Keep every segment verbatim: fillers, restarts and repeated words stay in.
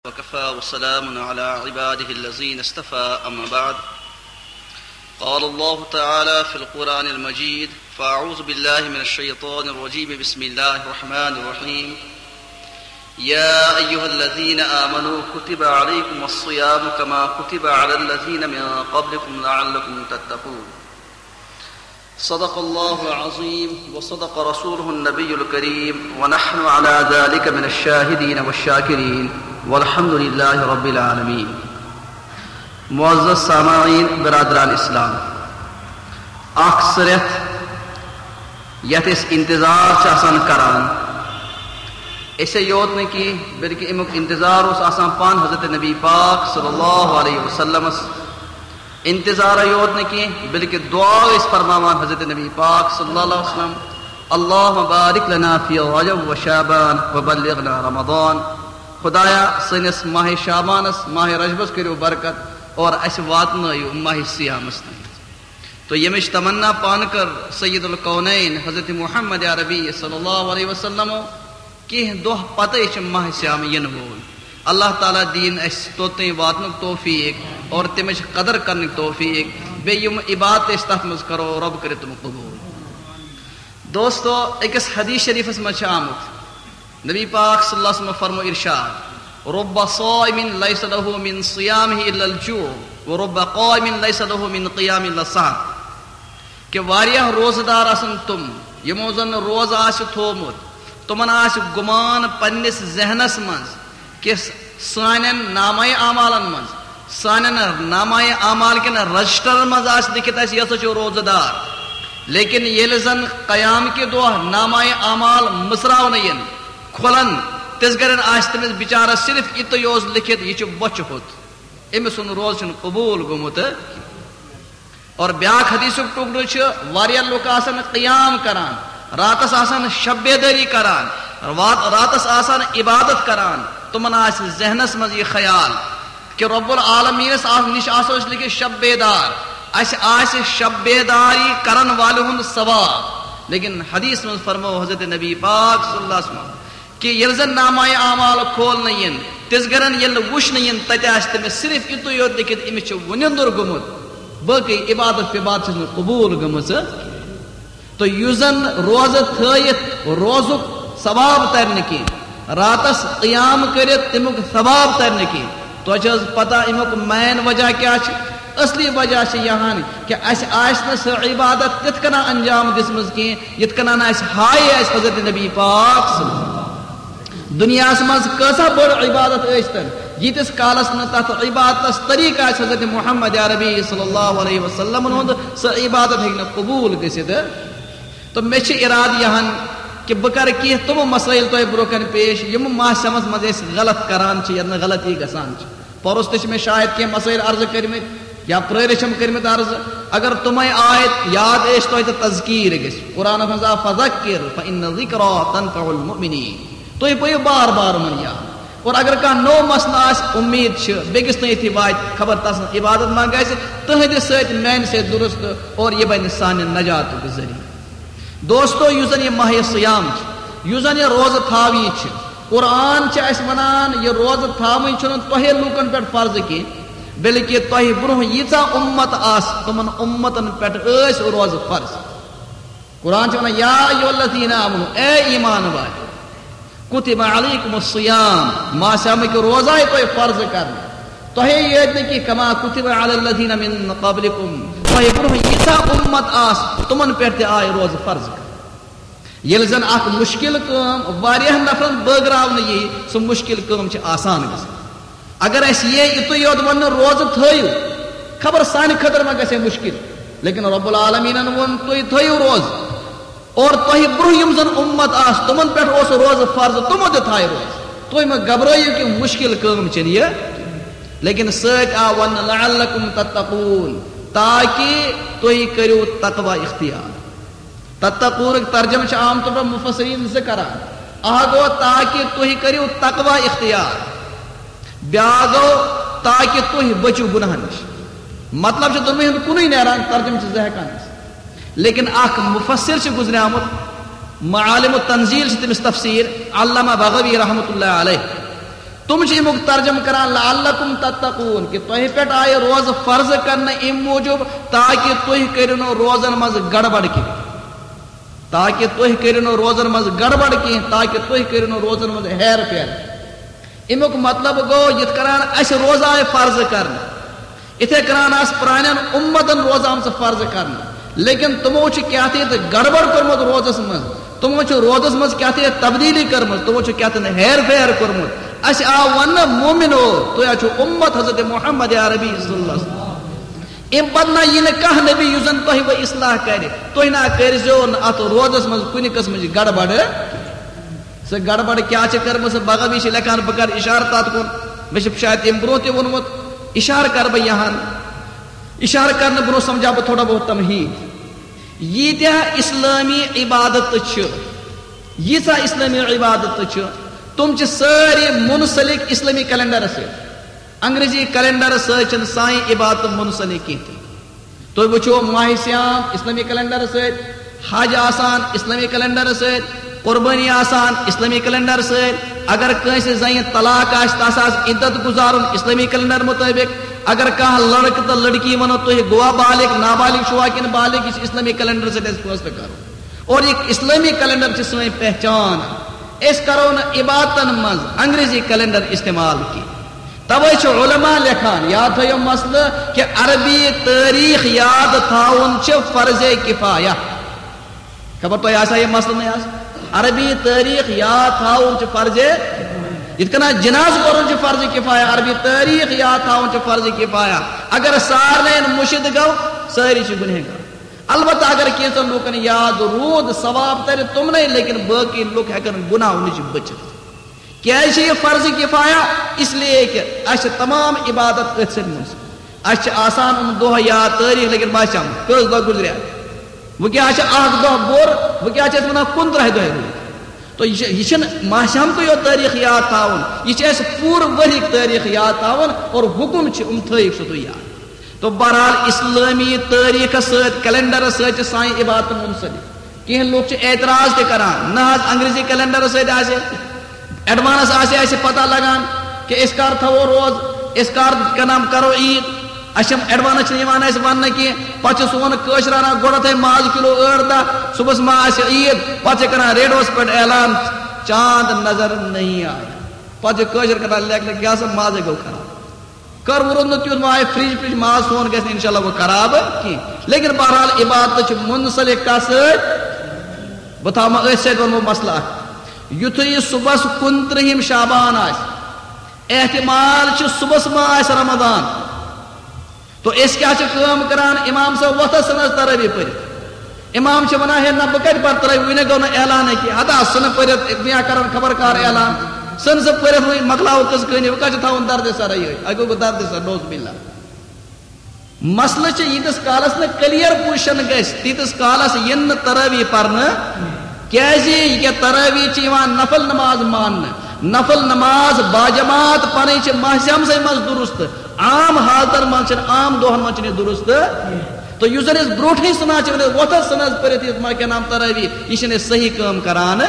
وكفى وسلام على عباده الذين اصطفى، أما بعد. قال الله تعالى في القرآن المجيد: فأعوذ بالله من الشيطان الرجيم، بسم الله الرحمن الرحيم. يا أيها الذين آمنوا كتب عليكم الصيام كما كتب على الذين من قبلكم لعلكم تتقون. صدق الله العظيم وصدق رسوله النبي الكريم، ونحن على ذلك من الشاهدين والشاكرين، والحمد لله رب العالمين. معزز سامعین، برادران اسلام، اکھ سُہ رٮ۪تھ یتھ أسۍ انتظار چھِ آسان کران، أسے یوت نہٕ کینٛہہ بلکہِ امیُک انتظار اوس آسان پانہٕ حضرت نبی پاک صلی اللہ علیہ وسلمس۔ انتظارے یوت نہٕ کینٛہہ بلکہِ دعا ٲسۍ فرماوان حضرت نبی پاک صلی اللہ علیہ وسلم، اللهم بارك لنا في رجب وشعبان وبلغنا رمضان۔ خدایا، سٲنِس ماہِ شعبانس، ماہِ رجبس کٔرِو برکت اور اسہِ واتنٲیِو ماہِ صیامس تام۔ تو ییٚمِچ تمنا پانہٕ کٔر سید الکونین حضرت محمد عربی صلی اللہ علیہ وسلمو، کینٛہہ دۄہ پتے چھِ ماہِ صیام یِنہٕ وول۔ اللہ تعالیٰ دِیِن اَسہِ توٚتام واتنُک توفیٖق اور تَمِچ قدر کرنُک توفیٖق، بیٚیہِ یِم عبادت أسۍ تَتھ منٛز کرو، رۄب کٔرِتھ تِم قبوٗل۔ دوستو، أکِس حدیث شریفس منٛز چھِ آمُت، نبی پاک صلی اللہ علیہ وسلم فرمو ارشاد، رب صائم ليس له من صيامه إلا الجوع، ورب قائم ليس له من قيامه إلا السهر۔ کہ واریاہ روزٕ دار آسن تِم، یِمو زن روزٕ آسہِ تھوومُت، تِمن آسہِ گُمان پننِس ذہنس منٛز کہ سانٮ۪ن نامہ اعمالن منٛز، سانٮ۪ن نامہ اعمال کٮ۪ن رجسٹرن منٛز آسہِ لیکھِتھ، اسہِ یہِ ہسا چھُ روزٕ دار۔ لیکن ییٚلہِ زن قیام کہِ دۄہ نامہ اعمال مٕژراونہٕ یِن، کھُلن، تِژھ گرٮ۪ن آسہِ تٔمِس بِچارس صرف یِتُے یوت لیکھِتھ، یہِ چھُ بۄچھِ ہوٚت، أمۍ سُنٛد روزٕ چھُنہٕ قبوٗل گوٚمُت۔ اور بیاکھ حدیثُک ٹُکڑٕ چھُ، واریاہ لُکھ آسن قیام کران، راتس آسن شب بیدٲری کران، رات-، راتس آسن عبادت کران، تِمن آسہِ ذہنس منٛز یہِ خیال کہ رب العالمینس آس-، نِش آسو أسۍ لیکھِتھ شب بیدار، اسہِ آسہِ شب بیداری کرن والہِ ہُنٛد ثواب۔ لیکن حدیث منٛز فرمو حضرت نبی پاک صلی اللہ علیہ وسلم، کہ ییٚلہِ زن نامہ اعمال کھولنہٕ یِن، تِژھ گرن ییٚلہِ نہٕ وٕچھنہٕ یِن، تتہِ آسہِ تٔمِس صرف یِتُے یوت لیکھِتھ، أمِس چھِ وُنِندُر گوٚمُت، باقٕے عبادت وِبادت چھِس نہٕ قبوٗل گٔمٕژ۔ تہٕ یُس زن روزٕ تھٲیِتھ روزُک ثواب ترِ نہٕ کینٛہہ، راتس قیام کٔرِتھ تمیُک ثواب ترِ نہٕ کینٛہہ، تۄہہِ چھِ حظ پتہ امیُک مین وجہ کیٛاہ چھِ؟ اصلی وجہ چھِ یہِ ہن کہ اسہِ آسہِ نہٕ سۄ عبادت تِتھ کٔنۍ انجام دِژمٕژ کینٛہہ، یِتھ کٔنۍ اسہِ ہایے اسہِ حضرت نبی پاک صلی اللہ علیہ وسلم۔ دُنیاہس منٛز کۭژاہ بٔڑ عبادت ٲسۍ تن، ییٖتِس کالس نہٕ تتھ عبادتس طریٖقہٕ آسہِ حضرت محمد عربی صلی اللہ علیہ وسلمن ہُنٛد، سۄ عبادت ہیٚکہِ نہٕ قبوٗل گٔژھِتھ۔ تہٕ مےٚ چھِ ارادٕ یہِ ہن کہ بہٕ کرٕ کینٛہہ تِم مسٲیل تۄہہِ برونٛہہ کنہِ پیش، یِم ماہ سمس منٛز أسۍ غلط کران چھِ یا نہٕ غلطی گژھان چھِ۔ پرُس تہِ چھِ مےٚ شاید کینٛہہ مسٲیل عرضہٕ کٔرمٕتۍ یا پرٲرِس چھِم کٔرمٕتۍ عرضہٕ۔ اگر تِمے آیت یاد ٲسۍ تۄہہِ تہٕ تذکیر گژھِ۔ قرآنس منٛز آو، فذکر فإن الذکری تنفع المؤمنین۔ تُہۍ پٔرِو بار بار یِمن یاد۔ اور اگر کانٛہہ نوٚو مسلہٕ آسہِ، اُمید چھِ بیٚکِس تام یُتھُے واتہِ، خبر تسٕنٛز عبادت ما گژھِ تُہنٛدِ سۭتۍ، میانہِ سۭتۍ درست، اور یہِ بنہِ سانہِ نجاتُک ذٔریعہٕ۔ دوستو، یُس زن یہِ ماہِ صیام چھُ، یُس زن یہِ روزٕ تھاوٕنۍ چھِ، قرآن چھِ اَسہِ وَنان، یہِ روزٕ تھاوٕنۍ چھُنہٕ تۄہے لوٗکن پٮ۪ٹھ فرض کینٛہہ، بلکہِ تۄہہِ برونٛہہ ییٖژاہ اُمت آسہٕ، تِمن اُمتن پٮ۪ٹھ ٲسۍ روزٕ فرض۔ قرآن چھُ وَنان، یا ایھا الذین آمنو، اے ایمان والو، کتب علیکم الصیام، ماہِ صیامٕکۍ روزٕ آے تۄہہِ فرض کرنہٕ۔ تۄہے یٲتۍ نہٕ کینٛہہ، کما کتب علی الذین من قبلکم، تۄہہِ برونٛہہ ییٖژاہ اُمت آسہٕ، تِمن پٮ۪ٹھ تہِ آے روزٕ فرض کرنہٕ۔ ییٚلہِ زن اکھ مُشکِل کٲم واریاہ نفرن بٲگراونہٕ ییہِ، سُہ مُشکِل کٲم چھِ آسان گژھان۔ اگر اسہِ یی یِتُے یوت وننہٕ، روزٕ تھٲیِو، خبر سانہِ خٲطرٕ ما گژھِ ہے مُشکِل، لیکن رب العالمینن ووٚن، تُہۍ تھٲیِو روزٕ۔ اور تۄہہِ برونٛہہ یِم زن اُمت آسہٕ، تِمن پٮ۪ٹھ اوس روزٕ فرض، تِمو تہِ تھایہِ روزٕ۔ تُہۍ مہ گھبرٲیِو کہِ مُشکِل کٲم چھنہٕ یہِ، لیکن سۭتۍ آو وننہٕ، لعلکم تتقون، تاکہِ تُہۍ کٔرِو تقوی اختیار۔ تتقونُک ترجمہٕ چھُ عام طور پر مفسرین زٕ کران۔ اکھ گوٚو تاکہِ تُہۍ کٔرِو تقوی اختیار، بیاکھ گوٚو تاکہِ تُہۍ بٔچِو گناہن نِش۔ مطلب چھُ دۄنوٕنی ہُنٛد کُنُے نیران، ترجمہٕ چھِ زٕ ہٮ۪کان ٲسِتھ۔ لیکن اکھ مفسر چھُ گُزریومُت، معالم التنزیل چھِ تٔمِس تفسیر، علامہ بغوی رحمتہ اللہ علیہ۔ تِم چھِ اَمیُک ترجمہٕ کران لعلکم تتقون، کہِ تۄہہِ پٮ۪ٹھ آیہِ روزٕ فرض کرنہٕ اَمہِ موٗجوٗب تاکہِ تُہۍ کٔرِو نہٕ روزن منٛز گڑبڑ کینٛہہ، تاکہِ تُہۍ کٔرِو نہٕ روزن منٛز گڑبڑ کینٛہہ، تاکہِ تُہۍ کٔرِو نہٕ روزن منٛز ہیر پھیر۔ اَمیُک مطلب گوٚو، یِتھ کٔنۍ اَسہِ روزٕ آیہِ فرض کرنہٕ، یِتھے کٔنۍ آسہٕ پرانٮ۪ن اُمتن روزٕ آمژٕ فرض کرنہٕ، لیکن تِمو چھُ کینٛہہ تہِ گڑبڑ کوٚرمُت روزس منٛز، تِمو چھُ روزس منٛز کینٛہہ تہِ تبدیلی کٔرمٕژ، تِمو چھُ کینٛہہ تہِ ہیر پھیر کوٚرمُت۔ اَسہِ آو وننہٕ، مومنو، تُہۍ حظ چھِو اُمت حضرت محمد عربی صلی اللہ علیہ وسلم۔ اَمہِ پتہٕ نہ یی نہٕ کانٛہہ نبی یُس زن تۄہہِ وۄنۍ اصلاح کرِ، تُہۍ نہ کٔرۍزیو نہٕ اتھ روزس منٛز کُنہِ قٕسمٕچ گڑبڑ۔ سۄ گڑبڑ کیٛاہ چھِ کٔرمٕژ، سۄ بغوی چھِ لیکھان، بہٕ کرٕ اشارٕ تتھ کُن، مےٚ چھُ شاید تَمہِ برونٛہہ تہِ ووٚنمُت، اشارٕ کرٕ بہٕ یہن، اشارٕ کرنہٕ برونٛہہ سمجھاو بہٕ تھوڑا بہت تمہیٖد۔ ییٖتیٛاہ اسلٲمی عبادت چھِ، ییٖژاہ اسلٲمی عبادت چھِ، تِم چھِ سٲری منسلک اسلٲمی کیلنڈرس سۭتۍ۔ انگریزی کیلنڈر سۭتۍ چھِنہٕ سانہِ عبادت منسلک کینٛہہ تہِ۔ تُہۍ وٕچھِو، ماہِ صیام اسلٲمی کیلنڈر سۭتۍ، حج آسان اسلٲمی کیلنڈر سۭتۍ، قربٲنی آسان اسلٲمی کیلنڈر سۭتۍ۔ اگر کٲنٛسہِ زنہِ طلاق آسہِ، تس آسہِ عدت گزارُن اسلٲمی کیلنڈر مطٲبق۔ اگر کانٛہہ لڑکہٕ تہٕ لڑکی ونو، تُہۍ گوٚوا بالغ، نابالغ چھُوا کِنہٕ بالغ، یہِ چھُ اسلٲمی کیلنڈر سۭتۍ اَسہِ فٲصلہٕ کرُن۔ اور یہِ اسلٲمی کیلنڈر چھِ سٲنۍ پہچان۔ أسۍ کرو نہٕ عبادتن منٛز انگریزی کیلنڈر استعمال کینٛہہ۔ توے چھِ علماء لیکھان، یاد تھٲیِو مسلہٕ، کہِ عربی تٲریخ یاد تھاوُن چھِ فرض کفایہ۔ خبر تۄہہِ آسیا یہِ مسلہٕ نہٕ آز؟ عربی تٲریخ یاد تھاوُن چھِ فرض، یِتھ کٔنۍ جناز پرُن چھُ فرض کفایہ، عربی تٲریخ یاد تھاوُن چھُ فرض کفایہ۔ اگر سارنٕے مُشِد گوٚو، سٲری چھِ گُنہگار۔ البتہ اگر کینٛژن لوٗکن یاد روٗد، ثواب ترِ تِمنٕے، لیکن باقی لُکھ ہٮ۪کن گناہو نِش بٔچِتھ۔ کیٛازِ چھِ یہِ فرض کفایہ؟ اس لیے کہ اَسہِ چھِ تمام عبادت أتھۍ سۭتۍ منسلک۔ اَسہِ چھِ آسان یِم دۄہ یاد، تٲریخ، لیکن ماہِ صیام کٔژ دۄہ گُزرے؟ وۄنۍ کیٛاہ چھِ اکھ دۄہ بوٚر؟ وۄنۍ کیٛاہ چھِ أسۍ وَنان، کُنترٕٛہہِ دۄہہِ روٗد؟ تو یہِ چھِ، یہِ چھِنہٕ ماہِ صیام کُے یوت تٲریخ یاد تھاوُن، یہِ چھِ اَسہِ پوٗرٕ ؤریِک تٲریخ یاد تھاوُن، اور حُکُم چھِ یِم تھٲیِو سُہ تُہۍ یاد۔ تو بہرحال، اسلٲمی تٲریخس سۭتۍ، کیلنڈرس سۭتۍ چھِ سانہِ عبادتہٕ منسلک۔ کینٛہہ لوٗکھ چھِ اعتراض تہِ کران، نہ حظ، انگریزی کیلنڈرس سۭتۍ آسہِ ایڈوانس آسہِ اَسہِ پتہ لگان کہِ أسۍ کر تھاوو روز، أسۍ کر کنام کرو عیٖد۔ اَسہِ چھِ ایڈوانس چھِنہٕ یِوان اَسہِ وننہٕ کینٛہہ۔ پتہٕ چھِ سون کٲشرانہ گۄڈٕ تھٲے ماز کِلو ٲٹھ دَہ، صُبحس ما آسہِ عیٖد، پتہٕ چھِ کران ریڈیوس پٮ۪ٹھ اعلان، "چاند نظر نہیں آیا۔" پتہٕ چھِ کٲشِر کران لیکھنہٕ، کیٛاہ سا مازے گوٚو خراب۔ کر وُرُن نہٕ تیُتھ، وۄنۍ آیہِ فرج، فرج ماز سون گژھِ نہٕ انشاءاللہ وۄنۍ خراب کینٛہہ۔ لیکن بہرحال عبادت چھِ منسلک کَتھ سۭتۍ؟ بہٕ تھاوٕ أتھۍ سۭتۍ وَنہٕ بہٕ مسلہٕ اکھ۔ یُتھُے یہِ صُبحس کُنترٕٛہِم شعبان آسہِ، احتمال چھُ صُبحس ما آسہِ رمضان۔ تو أسۍ کیٛاہ چھِ کٲم کران؟ امام صٲب وۄتھس ژھٕنس تراویح پٔرِتھ۔ امام چھِ ونان، "ہے نہ، بہٕ کتہِ پرٕ تراویح، وُنہِ گوٚو نہٕ اعلانٕے کینٛہہ۔ ہتا ژھٕنہٕ پٔرِتھ، یا کرن خبر کار اعلان۔ ژھٕن سُہ پٔرِتھ، وۄنۍ مۄکلاوو قصہٕ کہانی، وۄنۍ کتہِ چھِ تھاوُن دردِ سرا یِہوٚے؟ اَتہِ گوٚو درد سر، نعوذ باللہ۔" مسلہٕ چھِ ییٖتِس کالس نہٕ کلیر پُزیشن گژھِ، تیٖتِس کالس یِن نہٕ تراویح پرنہٕ۔ کیٛازِ؟ یہِ کیٛاہ، تراویح چھِ یِوان نفل نماز ماننہٕ۔ نفل نماز باجماعت پرٕنۍ چھِ ماہِ صیامسٕے منٛز درست۔ عام حالتن منٛز چھِنہٕ، عام دۄہن منٛز چھِنہٕ یہِ درست۔ تو یُس زن أسۍ برونٛٹھٕے سُنان چھِ، ونان وۄتھس ژھٕنس پٔرِتھ یہِ ما کیٛاہ نام تراویح، یہِ چھِنہٕ أسۍ صحیح کٲم کران۔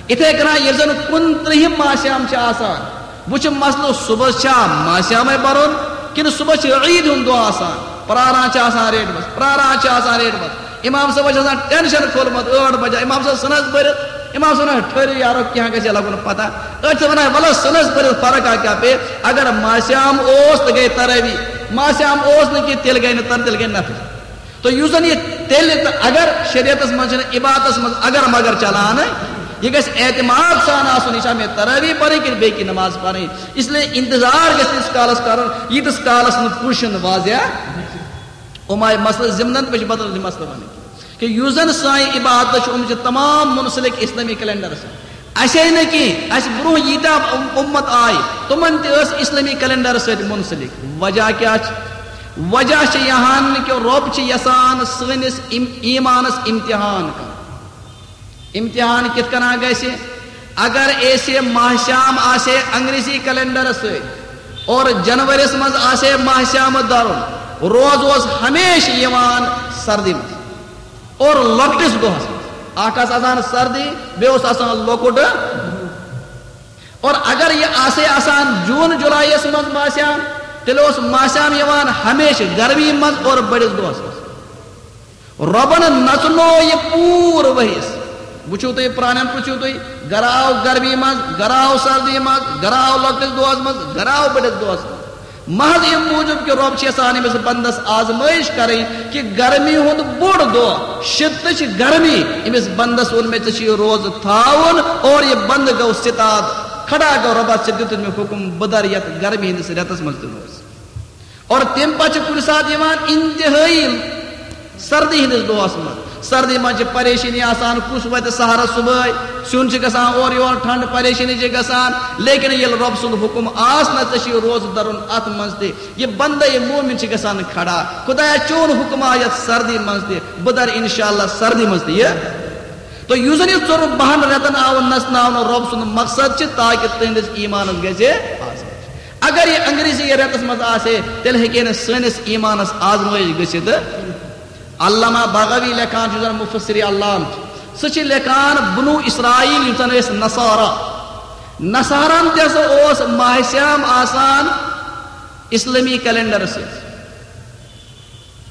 یِتھے کٔنۍ ییٚلہِ زن کُنترٕٛہِم ماہِ صیام چھِ آسان، وۄنۍ چھُ مسلہٕ، صُبحس چھا ماہِ صیامے پرُن کِنہٕ صُبحس چھُ عیٖد ہُنٛد دۄہ آسان؟ پراران چھِ آسان ریڈمس، پراران چھِ آسان ریڈمس۔ امام صٲبس چھُ آسان ٹینشن کھوٚلمُت، ٲٹھ بجے، امام صٲب ژھٕنس پٔرِتھ۔ امام صٲب ونان، "ٹھٔہرِو یارو، کینٛہہ گژھِ لگُن پتہ۔" أسۍ چھِ ونان، "ولہٕ ژھٕنس پٔرِتھ، فرق آ کیٛاہ پیٚیہِ؟ اگر ماہِ صیام اوس تہٕ گٔے تراویح، ماہِ صیام اوس نہٕ کینٛہہ، تیٚلہِ گٔے نہٕ تر، تیٚلہِ گٔے نفل۔" تو یُس زن یہِ تیٚلہِ تہٕ اگر شریعتس منٛز چھِنہٕ عبادتس منٛز اگر مگر چلان، یہِ گژھِ اعتماد سان آسُن، یہِ چھا مےٚ تراویح پرٕنۍ کِنہٕ بیٚیہِ کینٛہہ نماز پرٕنۍ۔ اس لیے انتظار گژھِ تیٖتِس کالس کرُن، ییٖتِس کالس نہٕ پُزیشن واضح۔ یِم آیہِ مسلہٕ ضمنن، مےٚ چھُ بدل مسلہٕ ونٕنۍ کہِ یُس زن سانہِ عبادت چھُ، یِم چھِ تمام منسلک اسلٲمی کیلنڈرس سۭتۍ۔ اسے نہٕ کینٛہہ، اسہِ برونٛہہ ییٖتیٛاہ اُم-، اُمت آیہِ، تِمن تہِ ٲس اسلٲمی کیلنڈر سۭتۍ منسلک۔ وجہ کیٛاہ چھِ؟ وجہ چھِ یہِ ہن کہِ رۄب چھِ یژھان سٲنِس اِم-، ایٖمانس امتحان کرُن۔ امتحان کِتھ کٔنۍ گژھِ؟ اگر اسہِ ماہ صیام آسہِ ہے انگریزی کیلنڈر سۭتۍ اور جنوریس منٛز آسہِ ہے ماہ صیام درُن، روز اوس ہمیشہِ یِوان سردی منٛز اور لۄکٹِس دۄہس منٛز۔ اکھ آسہٕ آسان سردی، بیٚیہِ اوس آسان لۄکُٹ۔ اور اگر یہِ آسے آسان جون جولائیس منٛز ماہ صیام، تیٚلہِ اوس ماہ صیام یِوان ہمیشہِ گرمی منٛز اور بٔڑِس دۄہس منٛز۔ رۄبن نژنو یہِ پوٗرٕ ؤریس۔ وٕچھِو تُہۍ، پرانٮ۪ن پرٛژھِو تُہۍ، گرٕ آو گرمی منٛز، گرٕ آو سردی منٛز، گرٕ آو لۄکٹِس دۄہس منٛز، گرٕ آو بٔڑِس دۄہس منٛز۔ محض اَمہِ موٗجوٗب کہِ رۄب چھِ یژھان أمِس بندس آزمٲیش کرٕنۍ کہِ گرمی ہُنٛد بوٚڑ دۄہ، شدتٕچ گرمی، أمِس بندس ووٚن مےٚ، ژےٚ چھُ یہِ روزٕ تھاوُن، اور یہِ بندٕ گوٚو ستاد، کھڑا گوٚو، رۄبا، ژےٚ دیُتُتھ مےٚ حُکم، بہٕ درٕ یتھ گرمی ہٕنٛدِس رٮ۪تس منٛز تہِ روزٕ۔ اور تَمہِ پتہٕ چھِ کُنہِ ساتہٕ یِوان انتہٲیی سردی ہٕنٛدِس دۄہس منٛز۔ سردی منٛز چھِ پریشٲنی آسان، کُس وتہِ سحرس صبحٲے، سیُن چھُ گژھان اورٕ یور، ٹھنڈ پریشٲنی چھِ گژھان، لیکن ییٚلہِ رۄب سُنٛد حُکم آس نہ، ژےٚ چھُے روزٕ درُن، اتھ منٛز تہِ یہِ بندٕ، یہِ مومن چھِ گژھان کھڑا، خدایا، چون حُکم آو یتھ سردی منٛز تہِ، بہٕ درٕ انشاءاللہ سردی منٛز تہِ یہِ۔ تہٕ یُس زن یہِ ژوٚرُن بہن رٮ۪تن آو نژناونہٕ، رۄب سُنٛد مقصد چھِ تاکہِ تُہنٛدِس ایمانس گژھِ آزمٲیش۔ اگر یہِ انگریزی رٮ۪تس منٛز آسہِ ہے، تیٚلہِ ہیٚکہِ ہے نہٕ سٲنِس ایمانس آزمٲیش گٔژھِتھ۔ علامہ بغوی لیکھان چھُ، زن مفسر علام چھُ، سُہ چھُ لیکھان، بنو اسرائیل یُس زن ٲسۍ نصارا، نصارن تہِ ہسا اوس ماہ صیام آسان اسلٲمی کیلنڈر سۭتۍ۔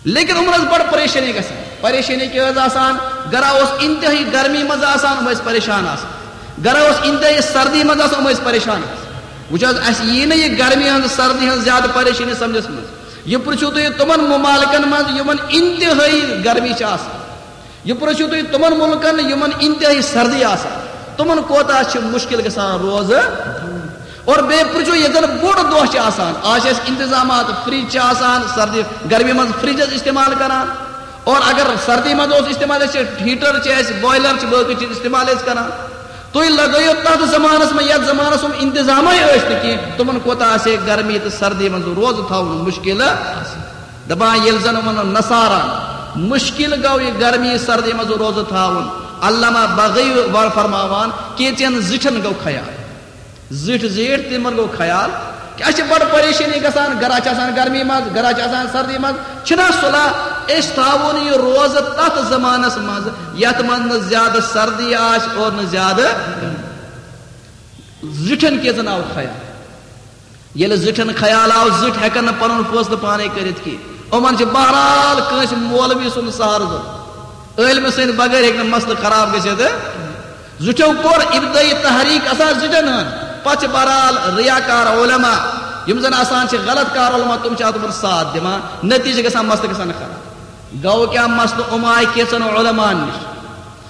لیکن یِمن ٲس بڑٕ پریشٲنی گژھان۔ پریشٲنی کیٛاہ ٲس آسان؟ گرا اوس انتہٲیی گرمی منٛز آسان، یِم ٲسۍ پریشان آسان۔ گرا اوس انتہٲیی سردی منٛز آسان، یِم ٲسۍ پریشان آسان۔ وٕچھ حظ، اَسہِ یی نہٕ یہِ گرمی ہٕنٛز، سردی ہٕنٛز زیادٕ پریشٲنی سمجھس منٛز۔ یہِ پرٛژھِو تُہۍ تِمن ممالکن منٛز، یِمن انتہٲیی گرمی چھِ آسان۔ یہِ پرٛژھِو تُہۍ تِمن مُلکن، یِمن انتہٲیی سردی آسان، تِمن کوتاہ چھِ مُشکِل گژھان روزٕ۔ اور بیٚیہِ پرٛژھِو، ییٚتٮ۪ن بوٚڑ دۄہ چھِ آسان، آز چھِ اَسہِ انتظامات، فرج چھِ آسان، سردی گرمی منٛز فرج ٲسۍ استعمال کران، اور اگر سردی منٛز اوس استعمال، أسۍ چھِ ہیٹر چھِ اَسہِ، بوائلر چھِ، باقٕے چیٖز استعمال ٲسۍ کران۔ تُہۍ لگٲیِو تَتھ زمانَس منٛز، یَتھ زمانَس منٛز انتظامٕے ٲسۍ نہٕ کینٛہہ، تِمن کوتاہ آسہِ ہے گرمی تہٕ سردی منٛز روزٕ تھاوُن مُشکِل۔ دپان، ییٚلہِ زن یِمن نصارن مُشکِل گوٚو یہِ گرمی سردی منٛز روزٕ تھاوُن، علامہ بغوی وَ-، فرماوان، کینٛژن زِٹھٮ۪ن گوٚو خیال، زِٹھۍ زیٖٹھۍ، تِمن گوٚو خیال کہِ اَسہِ چھِ بڑٕ پریشٲنی گژھان، گرا چھِ آسان گرمی منٛز، گرا چھِ آسان سردی منٛز، چھِنہ صلح أسۍ تھاوون یہِ روزٕ تتھ زمانس منٛز یتھ منٛز نہٕ زیادٕ سردی آسہِ اور نہٕ زیادٕ۔ زِٹھٮ۪ن کینٛژن آو خیال۔ ییٚلہِ زِٹھٮ۪ن خیال آو، زِٹھۍ ہٮ۪کن نہٕ پنُن فٲصلہٕ پانے کٔرِتھ کینٛہہ۔ یِمن چھِ بہرحال کٲنٛسہِ مولوی سُنٛد سہارٕ ضروٗرت۔ عٲلمہٕ سٕنٛدِ بغٲر ہیٚکہِ نہٕ مسلہٕ خراب گٔژھِتھ۔ زِٹھٮ۪و کوٚر ابتدٲیی تحریک آسان زِٹھٮ۪ن ہٕنٛز، پتہٕ چھِ بہرحال ریاکار علماء، یِم زن آسان چھِ غلط کار علماء، تِم چھِ اتھ منٛز ساتھ دِوان، نتیٖجہٕ گژھان، مسلہٕ گژھان خراب۔ گوٚو کیٛاہ؟ مسلہٕ یِم آے کینٛژن علماءن نِش۔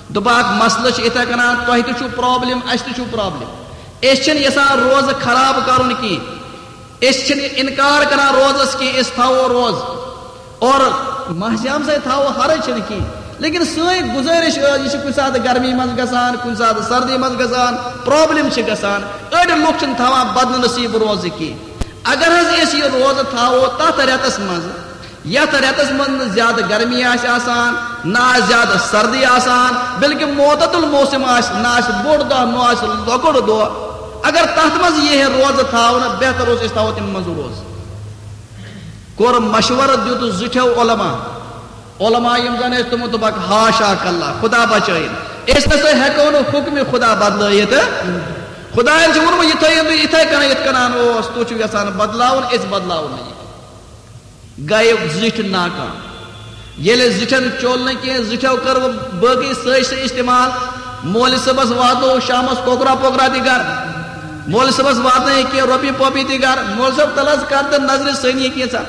دوٚپکھ، مسلہٕ چھُ یِتھے کٔنۍ، تۄہہِ تہِ چھُو پرابلم، اَسہِ تہِ چھُو پرابلم۔ أسۍ چھِنہٕ یژھان روزٕ خراب کرُن کینٛہہ۔ أسۍ چھِنہٕ انکار کران روزس کینٛہہ، أسۍ تھاوو روزٕ۔ اور ماہ صیام سۭتۍ تھاوو، حرج چھِنہٕ کینٛہہ۔ لیکن سٲنۍ گُزٲرِش ٲس، یہِ چھِ کُنہِ ساتہٕ گرمی منٛز گژھان، کُنہِ ساتہٕ سردی منٛز گژھان، پرابلم چھِ گژھان۔ أڑۍ لُکھ چھِنہٕ تھاوان بدنصیٖب روزٕ کینٛہہ۔ اگر حظ أسۍ یہِ روزٕ تھاوو تتھ رٮ۪تس منٛز، یتھ رٮ۪تس منٛز نہٕ زیادٕ گرمی آسہِ آسان، نہ آسہِ زیادٕ سردی آسان، بلکہ معتدل موسم آسہِ، نہ آسہِ بوٚڑ دۄہ، نہ آسہِ لۄکُٹ دۄہ۔ اگر تتھ منٛز یی ہے روزٕ تھاونہٕ، بہتر اوس أسۍ تھاوو تمہِ منٛز روزٕ۔ کوٚر مشورٕ، دیُت زِٹھٮ۪و علماء، علماء یِم زن ٲسۍ، تِمو دوٚپکھ، حاشا کلّا، خدا بچٲیِن، أسۍ نہ سا ہٮ۪کو نہٕ حُکمِ خدا بدلٲیِتھ۔ خداین چھُ ووٚنمُت، یہِ تھٲیِو تُہۍ یِتھے کٔنۍ، یِتھ کٔنۍ اوس، تُہۍ چھِو یژھان بدلاوُن، أسۍ بدلاوو نہٕ یہِ۔ گٔیہِ زِٹھۍ ناکام۔ ییٚلہِ زِٹھٮ۪ن چوٚل نہٕ کینٛہہ، زِٹھٮ۪و کٔر وۄنۍ باقٕے سٲزشہٕ استعمال۔ مولوی صٲبس واتنوو شامس کۄکرا پۄکرا تہِ گرٕ۔ مولوی صٲبس واتنٲے کینٛہہ رۄپیہِ پۄپیہِ تہِ گرٕ۔ مولوی صٲب، تلہٕ حظ کر تہٕ نظرِ ثٲنی کینٛژھا۔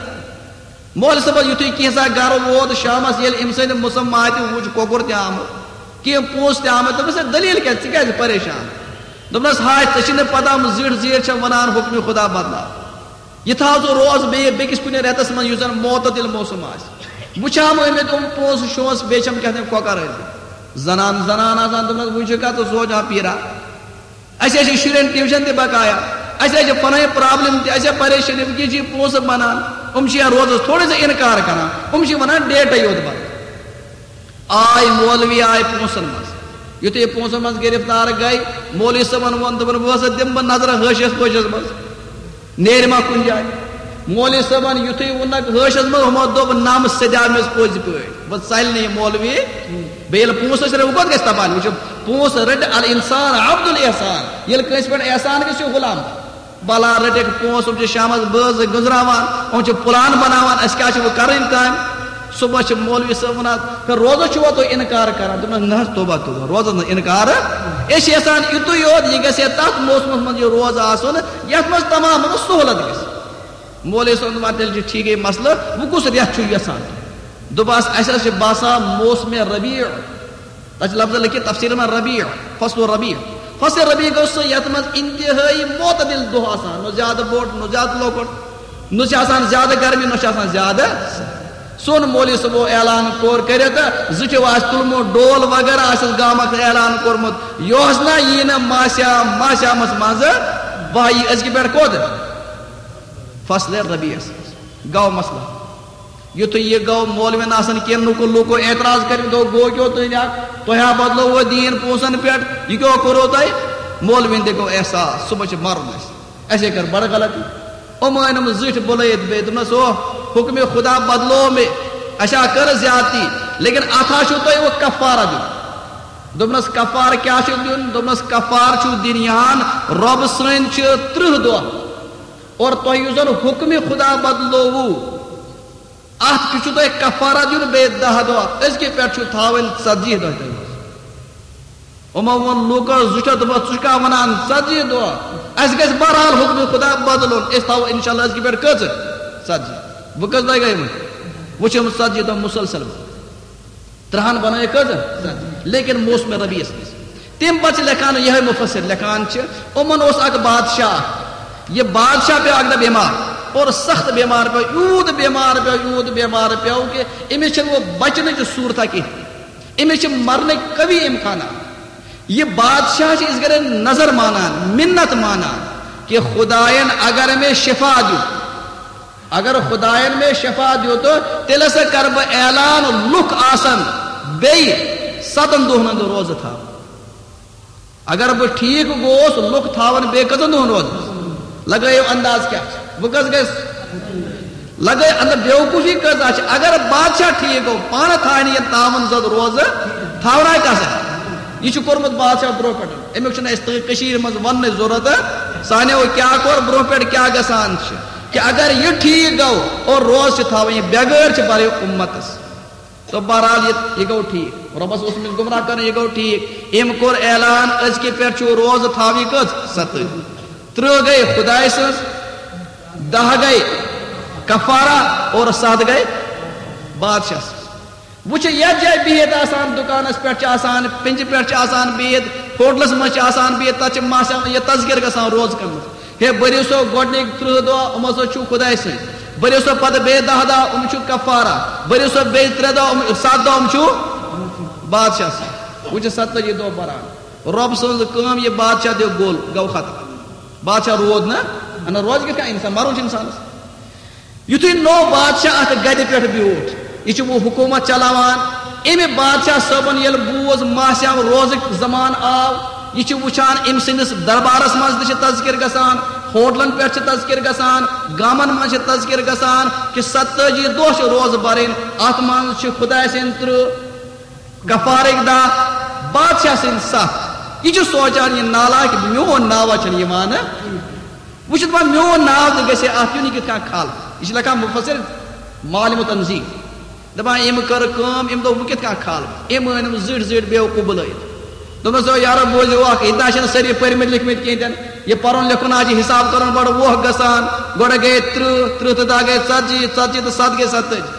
مولوی صٲبس یُتھُے کینٛژھا گرٕ ووت شامس، ییٚلہِ أمۍ سٕنٛدِ مسماتہِ وُچھ کۄکُر تہِ آمُت، کینٛہہ پونٛسہٕ تہِ آمٕتۍ، دوٚپنس، "ہے، دٔلیٖل کیٛاہ؟ ژٕ کیٛازِ پریشان؟" دوٚپنس، "ہاے، ژےٚ چھِی نہٕ پتہ، یِم زِٹھۍ زیٖٹھۍ چھِ ونان حُکمِ خدا بدلاو۔ یہِ تھاو ژٕ روز بیٚیہِ بیٚکِس کُنہِ رٮ۪تس منٛز، یُس زن معتدل موسم آسہِ۔ وٕچھ ہم أمۍ ییٚتہِ یِم پونٛسہٕ شونٛسہٕ، بیٚیہِ چھَم کیٛاہ تام کۄکر أنۍمٕتۍ۔" زنان، زنان آسان، دوٚپنس، "وۄنۍ چھُکھا ژٕ سونٛچان پیٖرا؟ اَسہِ حظ چھِ شُرٮ۪ن ٹیوٗشن تہِ بقایا، اَسہِ حظ چھِ پنٕنۍ پرابلم تہِ، اَسہِ چھِ پریشٲنی، وٕنکیٚس چھِ یہِ پونٛسہٕ بنان، یِم چھِ یا روزس تھوڑا سا انکار کران، یِم چھِ ونان ڈیٹے یوت بنان۔" آے مولوی، آے پونٛسن منٛز۔ یُتھُے یہِ پونٛسن منٛز گرفتار گٔے، مولوی صٲبن ووٚن، دوٚپُن، "وۄنۍ ہسا دِمہٕ بہٕ نظرہ حٲشِیس پٲشِس منٛز، نیرِ ما کُنہِ جایہِ؟" مولوی صٲبن یُتھُے ووٚنکھ حٲشِیس منٛز، ہُمو دوٚپ، "نم سیٚدیو مےٚ پٔزۍ پٲٹھۍ۔" بہٕ ژَلہِ نہٕ یہِ مولوی۔ بیٚیہِ ییٚلہِ پونٛسہٕ ٲسۍ رٔٹۍ، وۄنۍ کوٚت گژھِ تَباہ؟ وٕچھِو، پونٛسہٕ رٔٹۍ، الانسان عبد الاحسان۔ ییٚلہِ کٲنٛسہِ پٮ۪ٹھ احسان گژھِ، چھُ غلام۔ بلا رٔٹِکھ پونٛسہٕ، یِم چھِ شامَس بٲژ گٔنٛزراوان، یِم چھِ پلان بناوان، اَسہِ کیٛاہ چھِ وۄنۍ کَرٕنۍ کامہِ؟ صُبحَس چھِ مولوی صٲب وَنان، "ہے، روزَس چھُوا تُہۍ اِنکار کَران؟" دوٚپنَس، "نہ حظ، توبہ، توبہ، روزَس نہٕ اِنکار۔ أسۍ چھِ یَژھان یُتُے یوت، یہِ گژھِ ہے تَتھ موسمَس منٛز یہِ روزٕ آسُن، یَتھ منٛز تمام سہوٗلت گژھِ۔" مولوی صٲبَن دوٚپ، "تیٚلہِ چھُ ٹھیٖکٕے مسلہٕ، وۄنۍ کُس رٮ۪تھ چھُو یَژھان؟" دوٚپہَس، "اَسہِ حظ چھِ باسان موسمِ ربیع۔" تَتھ چھِ لفظ لیٚکھِتھ تفسیٖرَس منٛز ربیع، فصل ربیع۔ فصل ربیع گوٚو سُہ یَتھ منٛز انتہٲیی معتدل دۄہ آسان، نہ زیادٕ بوٚڑ، نہ زیادٕ لۄکُٹ، نہ چھِ آسان زیادٕ گرمی، نہ چھِ آسان زیادٕ۔ سون مولوی صٲبو اعلان کوٚر کٔرِتھ، زٕ چھِ آسہِ تُلمُت ڈول وغیرہ، آسٮ۪س گامَس اعلان کوٚرمُت، یۄہس نہ یی نہٕ ماہ صیام، ماہ صیامَس منٛز بہہ یی أزکہِ پٮ۪ٹھ کوٚت؟ فصل ربیعس۔ گوٚو مسلہٕ۔ یُتھُے یہِ گوٚو، مولوی نہٕ آسان کینٛہہ، لُکو، لُکو اعتراض کٔرِتھ دوٚپ، "گوٚو کیٛاہ تُہۍ اَکھ؟ تۄہہِ ہا بدلووٕ دیٖن پونٛسَن پٮ۪ٹھ، یہِ کیٛاہ کوٚروٕ تۄہہِ؟" مولوِیَن تہِ گوٚو احساس، صُبحَس چھِ مَرُن اَسہِ، اَسے کٔر بَڑٕ غلطی۔ یِمو أنِم زِٹھۍ بُلٲیِتھ بیٚیہِ، دوٚپنَس، "او، حُکمِ خدا بدلوو مےٚ، اَسہِ ہا کٔر زیادتی، لیکن اَتھ ہا چھُو تۄہہِ وۄنۍ کفارہ دیُن۔" دوٚپنَس، "کفارٕ کیٛاہ چھُ دیُن؟" دوٚپنَس، "کفارٕ چھُو دِنۍ یِہَن، رۄبہٕ سٕنٛدۍ چھِ تٕرٛہ دۄہ، اور تۄہہِ یُس زَن حُکمِ خدا بدلووُ، اَتھ تہِ چھُ تۄہہِ کفارہ دیُن بیٚیہِ دَہ دۄہ، أزکہِ پٮ۪ٹھ چھُ تھاوٕنۍ ژتجی دۄہ تۄہہِ منٛز۔" یِمو ووٚن لوٗکو زُٹھیو، دوٚپُکھ، "ژٕ چھُکھا وَنان ژتجی دۄہ؟ اَسہِ گژھِ بہرحال حُکمِ خدا بدلُن، أسۍ تھاوو اِنشاءاللہ أزکہِ پٮ۪ٹھ کٔژ؟ ژتجی۔" وۄنۍ کٔژ دۄہ گٔے وۄنۍ؟ وۄنۍ چھِ یِم ژتجی دۄہ مُسلسل۔ ترٛہَن بنٲیِکھ کٔژ؟ لیکن موسمِ ربیعس منٛز۔ تَمہِ پتہٕ چھِ لیکھان، یِہوٚے مُفسر لیکھان چھِ، یِمَن اوس اَکھ بادشاہ اَکھ۔ یہِ بادشاہ پیوٚو اَکہِ دۄہ بٮ۪مار، اور سخت بٮ۪مار پیوٚو، یوٗت بٮ۪مار پیوٚو، یوٗت بٮ۪مار پیوٚو کہِ أمِس چھِنہٕ وۄنۍ بچنٕچ صوٗرتھا کِہیٖنۍ۔ أمِس چھِ مرنٕکۍ قوی امکانات۔ یہِ بادشاہ چھِ أسۍ گرِ نظر مانان، مِنت مانان کہِ خدایَن اگر مےٚ شفا دیُت، اگر خدایَن مےٚ شفا دیُت، تیٚلہِ ہسا کرٕ بہٕ اعلان، لُکھ آسن بیٚیہِ ستن دۄہن ہُنٛد روزٕ تھاوان۔ اگر بہٕ ٹھیٖک گوس، لُکھ تھاون بیٚیہِ کٔژن دۄہن روزٕ؟ لگٲیِو انداز کیٛاہ چھُ؟ وۄنۍ کٔژ گژھِ؟ لگٲیِو انداز، بیوقوٗفی کۭژاہ چھِ؟ اگر بادشاہ ٹھیٖک گوٚو، پانہٕ تھاونہٕ یہِ تاوَن زد روزٕ، تھاونا کَس اَتھِ؟ یہِ چھُ کوٚرمُت بادشاہ برونٛہہ پٮ۪ٹھ۔ اَمیُک چھُنہٕ اَسہِ تہٕ کٔشیٖرِ منٛز وَننٕچ ضروٗرت۔ سانیو کیٛاہ کوٚر، برونٛہہ پٮ۪ٹھ کیٛاہ گژھان چھِ، کہِ اگر یہِ ٹھیٖک گوٚو اور روزٕ چھِ تھاوٕنۍ، یہِ بٮ۪گٲر چھِ بَرٕنۍ اُمَتَس۔ تو بہرحال، یہِ، یہِ گوٚو ٹھیٖک۔ رۄبَس اوس أمِس گُمراہ کران، یہِ گوٚو ٹھیٖک۔ أمۍ کوٚر اعلان، أزکہِ پٮ۪ٹھ چھُ روزٕ تھاوٕنۍ کٔژ؟ ستٲجی۔ ترٕٛہ گٔے خدایہِ سٕنٛز، دَہ گٔے کفارہ اور ستھ گٔے بادشاہ سٕنٛز۔ وۄنۍ چھِ یَتھ جایہِ بِہِتھ آسان، دُکانَس پٮ۪ٹھ چھِ آسان، پِنجہِ پٮ۪ٹھ چھِ آسان بِہِتھ، ہوٹلَس منٛز چھِ آسان بِہِتھ، تَتھ چھِ ماسہِ یہِ تذکرٕ گژھان روزٕ کَمہِ منٛز۔ ہے، بٔرِو سا گۄڈٕنِکۍ ترٕٛہ دۄہ، یِم ہسا چھِو خدایہِ سٕنٛدۍ۔ بٔرِو سا پتہٕ بیٚیہِ دَہ دۄہ، یِم چھِو کفارہ۔ بٔرِو سا بیٚیہِ ترٛےٚ دۄہ، یِم، ستھ دۄہ، یِم چھِو بادشاہ سٕنٛدۍ۔ وۄنۍ چھِ ستٲجی دۄہ بران۔ رۄب سٕنٛز کٲم، یہِ بادشاہ دیو گوٚل، گوٚو ختم۔ بادشاہ روٗد نہٕ، اَنہٕ روزِ کِتھ کٔنۍ اِنسان؟ مَرُن چھُ اِنسانَس۔ یُتھُے نوٚو بادشاہ اَتھ گَدِ پٮ۪ٹھ بیوٗٹھ، یہِ چھُ وۄنۍ حکوٗمت چلاوان۔ اَمہِ بادشاہ صٲبَن ییٚلہِ بوٗز ماہ صیام روزٕکۍ زمانہٕ آو، یہِ چھُ وٕچھان أمۍ سٕنٛدِس دربارَس منٛز تہِ چھِ تذکر گژھان، ہوٹلَن پٮ۪ٹھ چھِ تذکر گژھان، گامَن منٛز چھِ تذکر گژھان کہِ ستٲجی دۄہ چھِ روزٕ بَرٕنۍ، اَتھ منٛز چھِ خداے سٕنٛدۍ ترٕٛہ، کفارٕکۍ دَہ، بادشاہ سٕنٛدۍ ستھ۔ یہِ چھُ سونٛچان، یہِ نالاک، میون ناوا چھُنہٕ یِوان۔ وۄنۍ چھُ دَپان، میون ناو تہِ گژھِ اَتھ یُن، یہِ کِتھ کٔنۍ کھال؟ یہِ چھِ لیکھان مُفسر معالم تنزیل۔ دَپان، أمۍ کٔر کٲم، أمۍ دوٚپ، بہٕ کِتھ کٔنۍ کھالہٕ؟ أمۍ أنۍ یِم زِٹھۍ زِٹھۍ بیوقوٗف بُلٲیِتھ۔ دوٚپنَس، "او یارو، بوٗزِو اَکھ، ییٚتہِ نہ چھِنہٕ سٲری پٔرۍ مٕتۍ لیکھۍ مٕتۍ کِہیٖنۍ تہِ نہٕ۔ یہِ پَرُن لیکھُن آز چھِ حِساب کَرُن بَڑٕ ووکھٕ گژھان۔ گۄڈٕ گٔے ترٕٛہ، ترٕٛہ تہٕ دَہ گٔے ژَتجی، ژَتجی تہٕ ستھ گٔے ستٲجی۔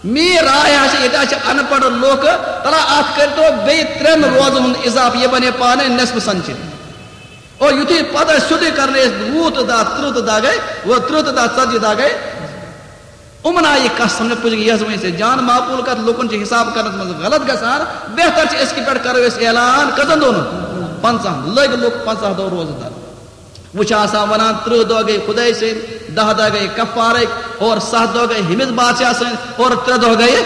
میٛٲنۍ راے ہا چھِ، ییٚتہِ حظ چھِ اَن پَڑھ لُکھ، تَلہ اَتھ کٔرۍتو بیٚیہِ ترٛٮ۪ن روزَن ہُنٛد اِضافہٕ، یہِ بَنے پانَے نٮ۪صفہٕ سَنچری۔" اور یُتھُے پَتہٕ ٲسۍ سیوٚدُے کَرنَے أسۍ وُہ تہٕ دَہ، ترٕٛہ تہٕ دَہ گٔے، وۄنۍ ترٕٛہ تہٕ دَہ، ژَتجی دَہ گٔے۔ یِمَن آیہِ یہِ کَتھ سَمجھ، پُج یَس وۄنۍ ژےٚ جان معقوٗل کَتھ، لُکَن چھِ حِساب کَرنَس منٛز غلط گژھان، بہتر چھِ أزکہِ پٮ۪ٹھ کَرو أسۍ اعلان، کٔژَن دۄہَن؟ پنٛژاہَن۔ لٔگۍ لُکھ پنٛژاہ دۄہ روزٕ دَر۔ وۄنۍ چھِ آسان وَنان، ترٕٛہ دۄہ گٔے خۄداے سٕنٛدۍ، دَہ دۄہ گٔے کفارٕکۍ، اور ستھ دۄہ گٔے ہُمِس بادشاہ سٕنٛدۍ، اور ترٛےٚ دۄہ گٔے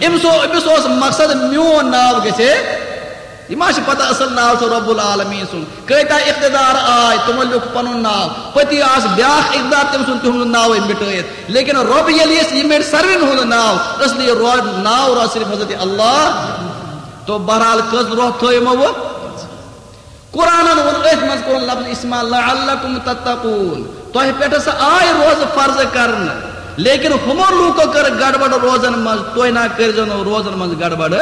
أمِس او-، أمِس اوس مقصد، میون ناو گژھِ ہے یہِ ما چھِ پتہ اصل ناو چھُ رب العالمین سُنٛد؟ کۭتیاہ اقتدار آے، تِمو لیوٚکھ پنُن ناو۔ پٔتی آس بیٛاکھ اقتدار، تٔمۍ سُنٛد تِہُنٛد ناوٕے مِٹٲیِتھ۔ لیکن رب ییٚلہِ یَس یہِ مِٹہِ ساروِیَن ہُنٛد ناو، اس لیے رو-، ناو روز صرف حضرت اللہ۔ تو بہرحال کٔژ روح تھٲو یِمو وۄنۍ؟ قرآنن ووٚن أتھۍ منٛز کوٚرُن لفظ استعمال، لعلکم تتقون، تۄہہِ پٮ۪ٹھ ہسا آے روزٕ فرض کرنہٕ، لیکن ہُمو لوٗکو کٔر گڑبڑ روزن منٛز، تُہۍ نہ کٔرۍزیو نہٕ روزن منٛز گڑبڑ۔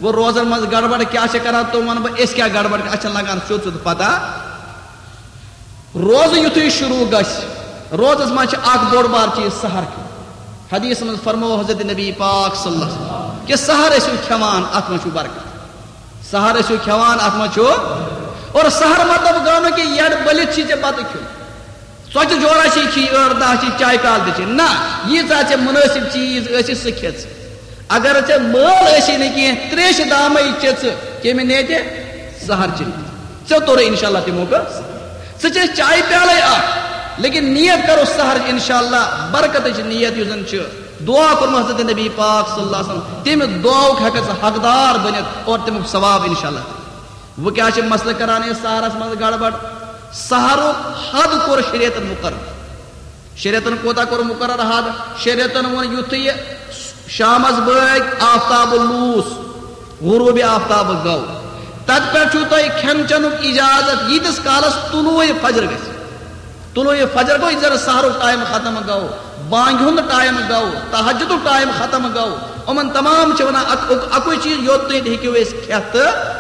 وۄنۍ روزن منٛز گڑبڑ کیٛاہ چھِ کران، تِم وَنہٕ بہٕ، أسۍ کیٛاہ گڑبڑ، اَسہِ چھَنہٕ لگان سیوٚد سیوٚد پتہ۔ روزٕ یُتھُے شروٗع گژھِ، روزس منٛز چھِ اکھ بوٚڑ بار چیٖز سحر کھیوٚن۔ حدیث منٛز فرموو حضرت نبی پاک صلی اللہ علیہ وسلم کہ سحر ٲسِو کھٮ۪وان، اتھ منٛز چھُ برکت۔ سحر ٲسِو کھٮ۪وان، اتھ منٛز چھُ۔ اور سحر مطلب گوٚو نہٕ کہ یڈ بٔلِتھ چھی ژےٚ بتہٕ کھیوٚن۔ ژۄچہِ جورا چھی کھی، ٲٹھ دہ چھی، چایہِ پیالہٕ تہِ چھی۔ نہ، ییٖژاہ ژےٚ مُنٲسِب چیٖز ٲسی، سُہ کھے ژٕ۔ اگر ژےٚ مٲل ٲسی نہٕ کینٛہہ، تریشہِ دامے چے ژٕ، کیٚمہِ نیتہِ؟ سحر چہِ نیتہِ۔ ژےٚ توٚرُے انشاءاللہ تہِ موقع۔ ژٕ چے چایہِ پیالے اکھ، لیکن نیت کرو سحر انشاءاللہ، برکتٕچ نیت یُس زن چھِ۔ دعا کوٚرمُت حضرت نبی پاک صلی اللہ علیہ وسلم، تمہِ دعاہُک ہٮ۪ککھ ژٕ حقدار بٔنِتھ اور تمیُک ثواب انشاءاللہ۔ وۄنۍ کیٛاہ چھِ مسلہٕ کران أسۍ سحرس منٛز گڑبڑ؟ سحرُک حد کوٚر شریعتن مقرر۔ شریعتن کوتاہ کوٚر مقرر حد؟ شریعتن ووٚن، یُتھُے یہِ شامس بٲگۍ آفتاب لوٗس، غروب آفتاب گوٚو، تتہِ پٮ۪ٹھ چھُو تۄہہِ کھٮ۪ن چٮ۪نُک اجازت ییٖتِس کالس طلوع فجر گژھِ۔ طلوع فجر گوٚو، یہِ زن سحرُک ٹائم ختم گوٚو، بانگہِ ہُنٛد ٹائم گوٚو، تہجدُک ٹائم ختم گوٚو۔ یِمن تمام چھِ ونان اک-، اک-، اکُے چیٖز، یوٚت تُہۍ ہیٚکِو أسۍ کھٮ۪تھ تہٕ۔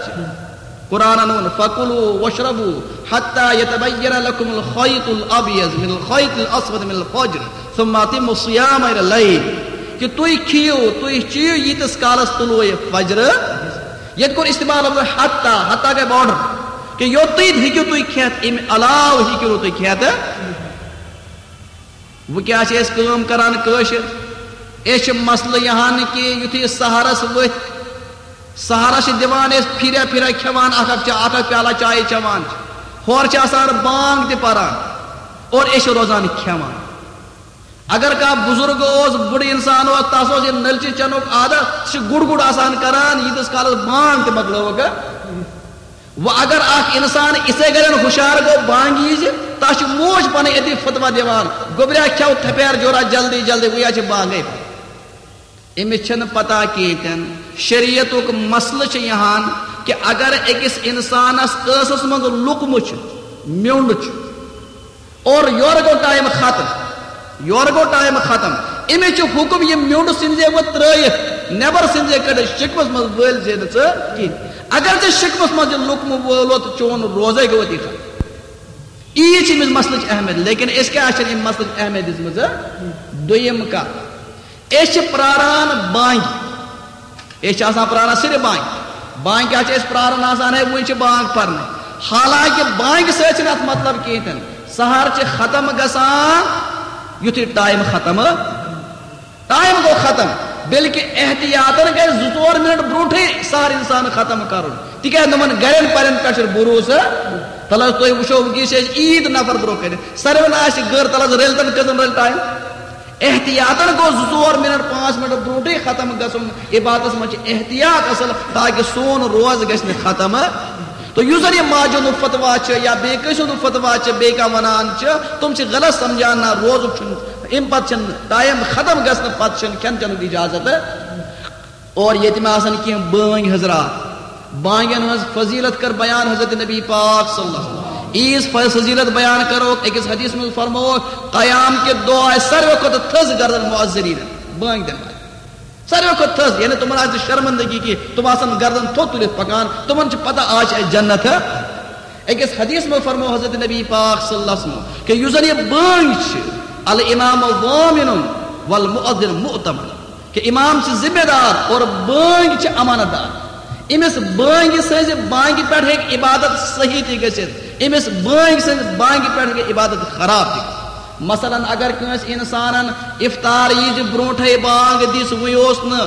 قرآنن ووٚن، فَكُلُوا وَاشْرَبُوا حَتَّىٰ يَتَبَيَّنَ لَكُمُ الْخَيْطُ الْأَبْيَضُ مِنَ الْخَيْطِ الْأَسْوَدِ مِنَ الْفَجْرِ ثُمَّ أَتِمُّوا الصِّيَامَ إِلَى اللَّيْلِ۔ کہ تُہۍ کھیٚیِو، تُہۍ چیٚیِو ییٖتِس کالس طلوع فجر۔ ییٚتہِ کوٚر استعمال لفظ حتیٰ، حتیٰ گٔے border، کہ یوٚت تُہۍ ہیٚکِو تُہۍ کھٮ۪تھ، اَمہِ علاوٕ ہیٚکِو نہٕ تُہۍ کھٮ۪تھ۔ وۄنۍ کیٛاہ چھِ أسۍ کٲم کران کٲشِر؟ أسۍ چھِ مسلہٕ یہِ ہن کہِ یُتھُے سحرس ؤتھۍ، سحرس چھِ دِوان أسۍ پھِرِ پھِرِ کھٮ۪وان، اکھ اکھ چا-، اکھ اکھ پیالہ چایہِ چٮ۪وان چھِ۔ ہورٕ چھِ آسان بانگ تہِ پران اور أسۍ چھِ روزان کھٮ۪وان۔ اگر کانٛہہ بُزرگ اوس، بُڈٕ انسان اوس، تس اوس یہِ نٔلچہِ چٮ۪نُک عادت، سُہ چھُ گُڑ گُڑ آسان کران، ییٖتِس کالس بانگ تہِ مۄکلٲوٕکھ۔ وۄنۍ اگر اکھ انسان اِتھے کٔنۍ ہُشار گوٚو بانگہِ وِزِ، تس چھِ موج پنٕنۍ أتی فتویٰ دِوان، گوٚبریا کھٮ۪و تھپیر جورا جلدی جلدی، وۄنۍ چھِ بانگے۔ أمِس چھَنہٕ پتہ کِہیٖنۍ تہِ نہٕ۔ شریعتُک مسلہٕ چھُ یہِ ہن کہِ اگر أکِس انسانس ٲسس منٛز لُکمہٕ چھُ، میوٚنٛڈ چھُ، اور یورٕ گوٚو ٹائم ختم، یورٕ گوٚو ٹائم ختم۔ أمِس چھُ حُکم یہِ میوٚنٛڈ ژھٕنۍ زِ وۄنۍ ترٛٲیِتھ، نٮ۪بر ژھٕنۍ زِ کٔڑِتھ، شِکمس منٛز وٲلۍ زِ نہٕ ژٕ کِہیٖنۍ۔ اگر ژےٚ شِکمس منٛز یہِ لُکمہٕ وولُتھ، چون روزے گوٚو أتی ختم۔ یی چھِ أمِس مسلٕچ اہمیت، لیکن أسۍ کیٛاہ چھِنہٕ أمۍ مسلٕچ اہمیت دِژمٕژ؟ دوٚیِم کتھ، أسۍ چھِ پراران بانگہِ۔ أسۍ چھِ آسان پراران صرف بانگہِ۔ بانگہِ کیٛاہ چھِ أسۍ پراران آسان؟ ہے، وُنہِ چھِ بانگ پرنٕے۔ حالانکہ بانگہِ سۭتۍ چھِنہٕ اتھ مطلب کِہیٖنۍ تہِ نہٕ۔ سحر چھِ ختم گژھان یُتھُے ٹائم ختم، ٹائم گوٚو ختم۔ بلکہ احتیاطن گژھِ زٕ ژور منٹ برونٹھٕے سحر انسان ختم کرُن، تِکیازِ نۄمن گرن پرن پٮ۪ٹھ چھُ بھروسہٕ۔ تلہٕ حظ تُہۍ وٕچھو، وٕنکیٚس چھِ أسۍ عیٖد نفر برونٛہہ کنہِ، ساروٕے نہ آسہِ گٔر، تلہٕ حظ رٔلۍ تن کٔژن رٔلۍ ٹائم۔ احتیاطن گوٚو زٕ ژور منٹ، پانٛژھ منٹ برونٹھٕے ختم گژھُن۔ عبادتس منٛز چھِ احتیاط اصل، تاکہ سون روز گژھِ نہٕ ختم۔ تہٕ یُس زن یہِ ماجہِ ہُنٛد فتوا چھُ یا بیٚیہِ کٲنٛسہِ ہُنٛد فتوا چھُ، بیٚیہِ کانٛہہ ونان چھُ، تِم چھِ غلط سمجھان، نہ، روزُک چھُنہٕ، اَمہِ پتہٕ چھُنہٕ ٹائم ختم گژھنہٕ پتہٕ چھُنہٕ کھٮ۪ن چٮ۪نُک اجازت۔ اور ییٚتہِ ما آسن کینٛہہ بٲنگۍ حضرات، بانگن ہٕنٛز فضیلت کٔر بیان حضرت نبی پاک صلی اللہ علیہ وسلم۔ عیٖذ ف-، فضیلت بیان کرو، أکِس حدیث منٛز فرموو، قیام کہِ دۄہ آسہِ ساروی کھۄتہٕ تھٔز گردن مؤذنین، بٲنگۍ دِنہٕ والٮ۪ن۔ ساروی کھۄتہٕ تھٔز، یعنی تِمن آسہِ نہٕ شرمندگی کینٛہہ، تِم آسن گردن تھوٚد تُلِتھ پکان، تِمن چھِ پتہ آز چھِ اَسہِ جنت۔ أکِس حدیث منٛز فرموو حضرت نبی پاک صلی اللہ علیہ وسلم کہ یُس زن یہِ بٲنگۍ چھِ، الامام ضامن والمؤذن مؤتمن، کہ امام چھِ ذمہ دار اور بٲنگۍ چھِ امانت دار۔ أمِس بٲنگہِ سٕنٛزِ بانگہِ پٮ۪ٹھ ہیٚکہِ عبادت صحیح تہِ گٔژھِتھ، أمِس بٲنگۍ سٕنٛزِ بانگہِ پٮ۪ٹھ ہیٚکہِ عبادت خراب تہِ گٔژھِتھ۔ مثلاً اگر کٲنٛسہِ انسانن افطار ییٖزِ برونٹھے بانگ دِژ، وُنہِ اوس نہٕ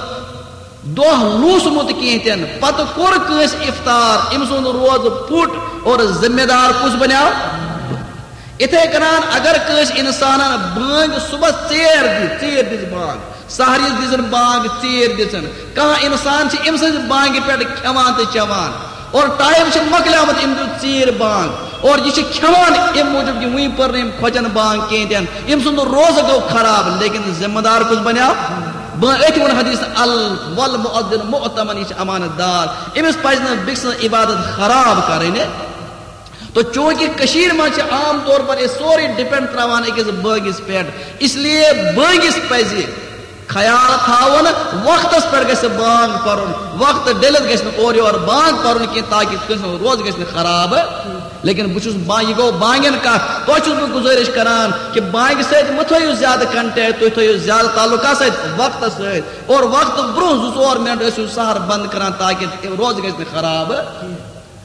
دۄہ لوٗسمُت کینٛہہ تہِ نہٕ، پتہٕ کوٚر کٲنٛسہِ افطار، أمۍ سُنٛد روزٕ پھُٹ اور ذمہ دار کُس بنیو؟ یِتھے کٔنۍ اگر کٲنٛسہِ اِنسانن بانٛگ صُبحس ژیر دِژ، ژیر دِژ بانٛگ، سحرِ دِژٕن بانٛگ، ژیر دِژٕن، کانٛہہ اِنسان چھُ أمۍ سٕنٛزِ بانٛگہِ پٮ۪ٹھ کھٮ۪وان تہٕ چٮ۪وان، اور ٹایم چھُ مۄکلیومُت، أمۍ دیُت ژیٖرۍ بانٛگ، اور یہِ چھُ کھٮ۪وان اَمہِ موٗجوٗب کہِ وٕنہِ پٔر نہٕ أمۍ خۄجن بانٛگ کِہیٖنۍ تہِ نہٕ، أمۍ سُنٛد روزٕ گوٚو خراب۔ لیکن ذمہٕ دار کُس بنیو؟ بہٕ أتھۍ ووٚن حدیث، ال-، والمؤذن مؤتمن، یہِ چھُ امانت دار، أمِس پزِ نہٕ بیٚکہِ سٕنٛز عبادت خراب کرٕنۍ۔ تو چونکہ کشیر منٛز چھِ عام طور پر أسۍ سورُے ڈپینڈ تراوان أکِس بٲگِس پٮ۪ٹھ، اس لیے بٲگِس پزِ خیال تھاوُن، وقتس پٮ۪ٹھ گژھِ بانگ پرُن، وقت ڈٔلِتھ گژھِ نہٕ اورٕ یورٕ بانگ پرُن کینٛہہ، تاکہ کٲنٛسہِ ہُنٛد روزٕ گژھِ نہٕ خراب۔ لیکن بہٕ چھُس با-، یہِ گوٚو بانگن کتھ، تۄہہِ چھُس بہٕ گُزٲرِش کران کہ بانگہِ سۭتۍ مہٕ تھٲیِو زیادٕ کنٹیکٹ، تُہۍ تھٲیِو زیادٕ تعلق کتھ سۭتۍ؟ وقتس سۭتۍ۔ اور وقتہٕ برونٛہہ زٕ ژور منٹ ٲسِو سحر بند کران، تاکہ روزٕ گژھِ نہٕ خراب۔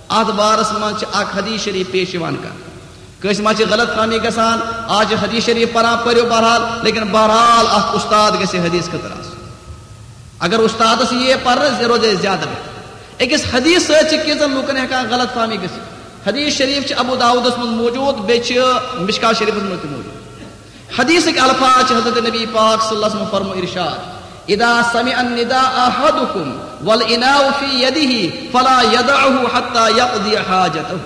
اتھ بارس منٛز چھِ اکھ حدیث شریف پیش یِوان کرنہٕ۔ کٲنٛسہِ ما چھِ غلط فہمی گژھان؟ آز چھِ حدیث شریف پران، پٔرِو بہرحال، لیکن بہرحال اکھ استاد گژھِ حدیث خٲطرٕ آسُن۔ اگر استادس یِیے پرنہٕ، یہِ روزِ زیادٕ بہتر۔ أکِس حدیث سۭتۍ چھِ کینٛژن لوٗکن ہٮ۪کان غلط فہمی گٔژھِتھ۔ حدیث شریف چھِ ابو داؤدس منٛز موجود، بیٚیہِ چھِ مشکات شریفس منٛز تہِ موجود۔ حدیثٕکۍ الفاظ چھِ حضرت نبی پاک صلی اللہ علیہ وسلم فرمو ارشاد، "اذا سمع النداء احدكم والاناء في يده فلا يدعه حتى يقضي حاجته"،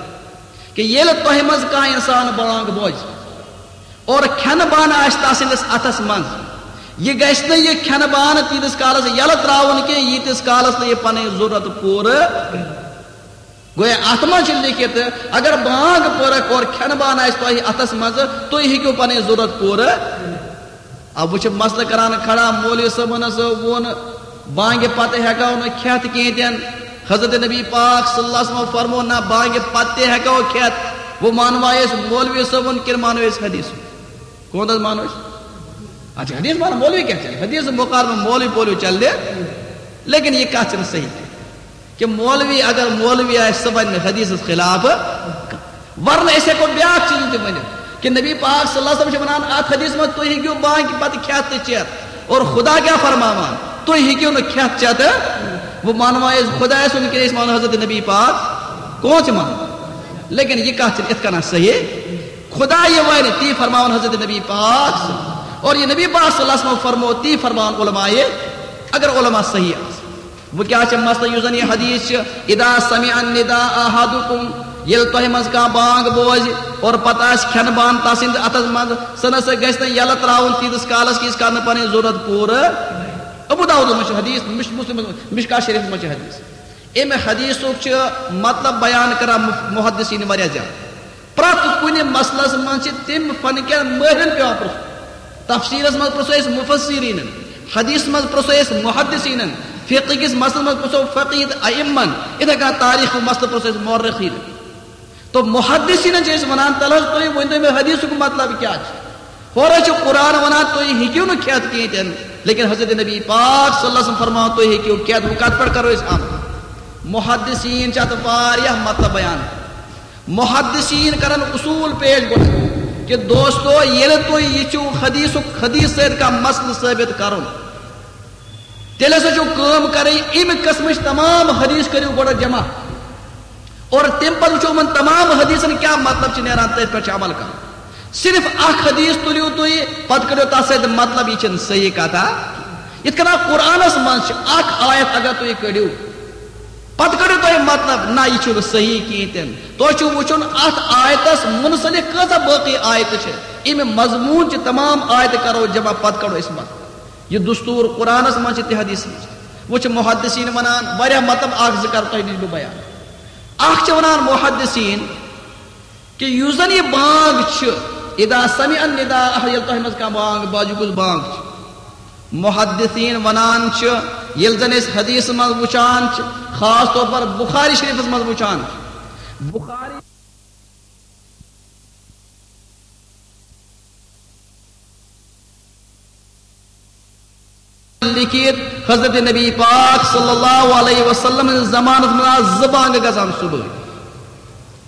کہ ییٚلہِ تۄہہِ منٛز کانٛہہ انسان بانگ بوزِ اور کھٮ۪نہٕ بانہٕ آسہِ تس سٕنٛدِس اتھس منٛز، یہِ گژھِ نہٕ یہِ کھٮ۪نہٕ بانہٕ تیٖتِس کالس یلہٕ ترٛاوُن کینٛہہ، ییٖتِس کالس نہٕ یہِ پنٕنۍ ضروٗرت پوٗرٕ۔ گویا اتھ منٛز چھُ لیکھِتھ، اگر بانگ پٔرکھ اور کھٮ۪نہٕ بانہٕ آسہِ تۄہہِ اتھس منٛز، تُہۍ ہیٚکِو پنٕنۍ ضروٗرت پوٗرٕ۔ اب وۄنۍ چھُ مسلہٕ کران کھڑا، مولوی صٲبن ہسا ووٚن، بانگہِ پتہٕ ہٮ۪کو نہٕ کھٮ۪تھ کینٛہہ تہِ نہٕ۔ حضرت نبی پاک صلی اللہ علیہ وسلم فرمو، نہ، بانگہِ پتہٕ تہِ ہٮ۪کو کھٮ۪تھ۔ وۄنۍ مانوا أسۍ مولوی صٲبُن کِنہٕ مانو أسۍ حدیث؟ کون حظ مانو أسۍ؟ اچھا، حدیث مانو، مولوی کیٛاہ چلہِ؟ حدیث مقابلہٕ مولوی پولوی چلہِ، لیکن یہِ کتھ چھنہٕ صحیح کینٛہہ۔ کہ مولوی، اگر مولوی آسہِ، سُہ ونہِ نہٕ حدیثس خلاف۔ ورنہ أسۍ ہٮ۪کو بیٛاکھ چیٖز تہِ ؤنِتھ کہ نبی پاک صلی اللہ علیہ وسلم چھِ ونان اتھ حدیث منٛز، تُہۍ ہیٚکِو بانگہِ پتہٕ کھٮ۪تھ تہٕ چٮ۪تھ، اور خدا کیٛاہ فرماوان، تُہۍ ہیٚکِو نہٕ کھٮ۪تھ چٮ۪تھ۔ وۄنۍ مانوا أسۍ خدایس سُنٛد کِنہٕ أسۍ مانو حضرت نبی پاک؟ کون چھِ مانان؟ لیکن یہِ کتھ چھِنہٕ اِتھ کٔنۍ صحیح۔ خدا یہِ ونہِ، تی فرماوان حضرت نبی پاک صلی اللہ علیہ وسلم۔ اور یہِ نبی پاک صلی اللہ علیہ وسلم فرمو، تی فرماوان علماء، اگر علماء صحیح آسن۔ وۄنۍ کیٛاہ چھِ مسئلہٕ؟ یُس زن یہِ حدیث چھِ، "اذا سمع النداء احدكم"، ییٚلہِ تۄہہِ منٛز کانٛہہ بانگ بوزِ اور پتہٕ آسہِ کھٮ۪نہٕ بانہٕ تس سٕنٛدِ اتھس منٛز، سُہ نہ سا گژھِ نہٕ یلہٕ ترٛاوُن تیٖتِس کالس کہِ یہِ کرِ نہٕ پنٕنۍ ضروٗرت پوٗرٕ۔ ابو داؤدس منٛز چھُ حدیث، مش-، مسلمس منٛز، مشکات شریفس منٛز چھُ حدیث۔ امہِ حدیثُک چھُ مطلب بیان کران مف-، محدثین واریاہ زیادٕ۔ پرٛٮ۪تھ کُنہِ مسلس منٛز چھِ تِم فن کٮ۪ن مٲہرن پٮ۪وان پرٛژھُن۔ تفسیرس منٛز پرٛژھو أسۍ مفسرینن، حدیثس منٛز پرٛژھو أسۍ محدثینن، فقہ کِس مسلس منٛز پرٛژھو فقیہ تہٕ ائمن، یِتھے کٔنۍ تاریخ مسلہٕ پرٛژھو أسۍ مورخینن۔ تو محدثینن چھِ أسۍ ونان، تلہٕ حظ تُہۍ ؤنۍ تو مےٚ حدیثُک مطلب کیٛاہ چھُ؟ ہورٕ چھُ قرآن ونان تُہۍ ہیٚکِو نہٕ کھٮ۪تھ کِہیٖنۍ تہِ نہٕ، لیکن حضرت نبی پاک صلی اللہ علیہ وسلم فرماوان تُہۍ ہیٚکِو کھٮ۪تھ۔ وۄنۍ کتھ پٮ۪ٹھ کرو أسۍ عمل؟ محدثین چھِ اتھ واریاہ مطلب بیان۔ محدثین کرن اصول پیش گۄڈٕ کہ دوستو، ییٚلہِ تُہۍ یہِ چھُو حدیثُک، حدیث سۭتۍ کانٛہہ مسلہٕ ثٲبت کرُن، تیٚلہِ ہسا چھُو کٲم کرٕنۍ، اَمہِ قٕسمٕچ تمام حدیث کٔرِو گۄڈٕ جمع، اور تَمہِ پتہٕ وٕچھو یِمن تمام حدیثن کیٛاہ مطلب چھُ نیران، تٔتھۍ پٮ۪ٹھ چھُ عمل کرُن۔ صرف اکھ حدیث تُلِو تُہۍ، پتہٕ کٔرِو تتھ سۭتۍ مطلب، یہِ چھَنہٕ صحیح کتھا۔ یِتھ کٔنۍ قرآنس منٛز چھِ اکھ آیت، اگر تُہۍ کٔڑِو، پتہٕ کٔڑِو تُہۍ مطلب، نہ، یہِ چھُنہٕ صحیح کِہیٖنۍ تہِ نہٕ۔ تۄہہِ چھُو وٕچھُن اتھ آیتس منسلک کۭژاہ باقٕے آیتہٕ چھِ۔ اَمہِ مضموٗن چہِ تمام آیتہٕ کرو جمع، پتہٕ کڑو أسۍ مطلب۔ یہِ دستور قرآنس منٛز چھِ تہِ حدیث منٛز۔ وۄنۍ چھِ محدثین ونان واریاہ مطلب، اکھ زٕ کرٕ تۄہہِ نِش بہٕ بیان۔ اکھ چھِ ونان محدثین کہ یُس زن یہِ بانگ چھِ، اذا سمع النداء، ییٚلہِ تۄہہِ منٛز کانٛہہ بانگ باجہِ، کُس بانگ چھِ؟ محدثین ونان چھِ، ییٚلہِ زن أسۍ حدیث منٛز وٕچھان چھِ، خاص طور پر بخاری شریفس منٛز وٕچھان چھِ، بخاری لیکھِتھ، حضرت نبی پاک صلی اللہ علیہ وسلم سٕنٛدِس زمانس منٛز آسہٕ زٕ بانگہٕ گژھان صبحٲے۔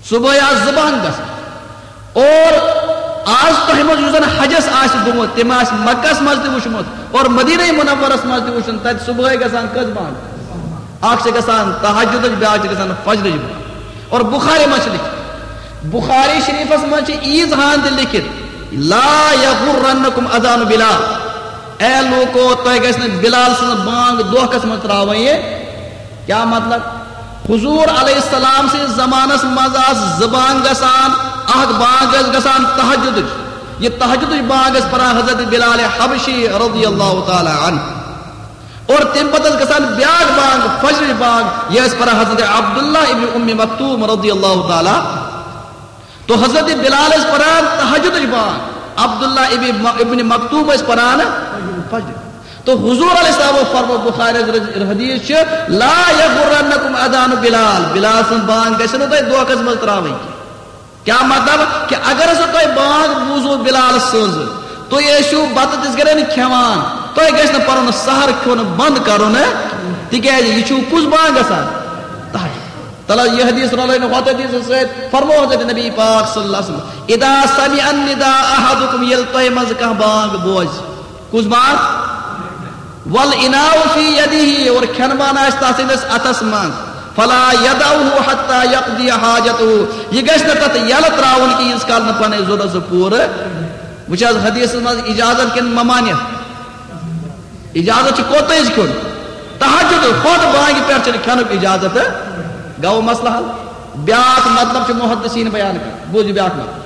صبحٲے آسہٕ زٕ بانگہٕ گژھان۔ اور آز تۄہہِ منٛز یُس زن حجس آسہِ گوٚمُت، تٔمۍ آسہِ مکس منٛز تہِ وٕچھمُت اور مدینہ منورس منٛز تہِ وٕچھُن، تتہِ صبحٲے گژھان کٔژ بانگہٕ؟ اکھ چھِ گژھان تہجدٕچ، بیٛاکھ چھِ گژھان فجرٕچ بانگ۔ اور بخاری منٛز چھِ لیکھِتھ، بخاری شریفس منٛز چھِ عیٖز ہان تہِ لیکھِتھ، "لا یغرنکم اذان بلال"، اے لوٗکو، تۄہہِ گژھِ نہٕ بلال سٕنٛز بانگ دھوکس منٛز ترٛاوٕنۍ۔ یہِ کیٛاہ مطلب؟ حضور علیہ السلام سٕنٛدِس زمانس منٛز آسہٕ زٕ بانگ گژھان، اکھ بانگ ٲس گژھان تہجدٕچ، یہِ تہجدٕچ بانگ ٲس پران حضرت بلال حبشی رضی اللہ تعالیٰ عنہ۔ اور تمہِ پتہٕ ٲس گژھان بیاکھ بانگ، فجرٕچ بانگ، یہِ ٲسۍ پران حضرت عبداللہ ابن ام مکتوم رضی اللہ تعالیٰ۔ تو حضرت بلال ٲسۍ پران تہجدٕچ بانگ، عبداللہ ابن، ابن مکتوم ٲسۍ پران فجر۔ تو حضور علیہ السلام فرمو، بخاری حدیث چھِ، "لا یغرنکم اذان بلال"، بلال سٕنٛز بانگ گژھِ نہٕ تۄہہِ دھوکس منٛز ترٛاوٕنۍ کینٛہہ۔ کیٛاہ مطلب؟ کہ اگر ہسا تۄہہِ بانگ بوٗزوٕ بلال سٕنٛز، تُہۍ ٲسِو بتہٕ تِژھ گرٮ۪ن کھٮ۪وان، تۄہہِ گژھِ نہٕ پنُن سحر کھیوٚن بنٛد کرُن، تِکیٛازِ یہِ چھُو کُس بانگ گژھان؟ تہجد۔ تَلہٕ، یہِ حدیث رلٲوِنہٕ ہۄتھ حدیثس سۭتۍ، فرمو حضرت نبی پاک صلی اللہ علیہ وسلم، "اذا سمع النداء احدکم"، ییٚلہِ تۄہہِ منٛز کانٛہہ بانگ بوزِ۔ کُس بانگ؟ "والاناء فی یدہ"، اور کھٮ۪ن بانہٕ آسہِ تَس سٕنٛدِس اَتھس منٛز، "فلا یدعہ حتی یقضی حاجتہ"، یہِ گژھِ نہٕ تَتھ یَلہٕ ترٛاوُن کینٛہہ، ییٖتِس کال نہٕ پنٕنۍ ضروٗرت سُہ پوٗرٕ۔ وۄنۍ چھِ حظ حدیثس منٛز اجازت کِنہٕ ممانعت؟ اجازت چھُ کوٚت تام کھیوٚن۔ تہجد، خۄد بانگہِ پٮ۪ٹھ چھُنہٕ کھٮ۪نُک اجازت۔ گوٚو مسلہٕ حل۔ بیٛاکھ مطلب چھُ محدثین بیان کران۔ بوٗزِو بیٛاکھ مطلب۔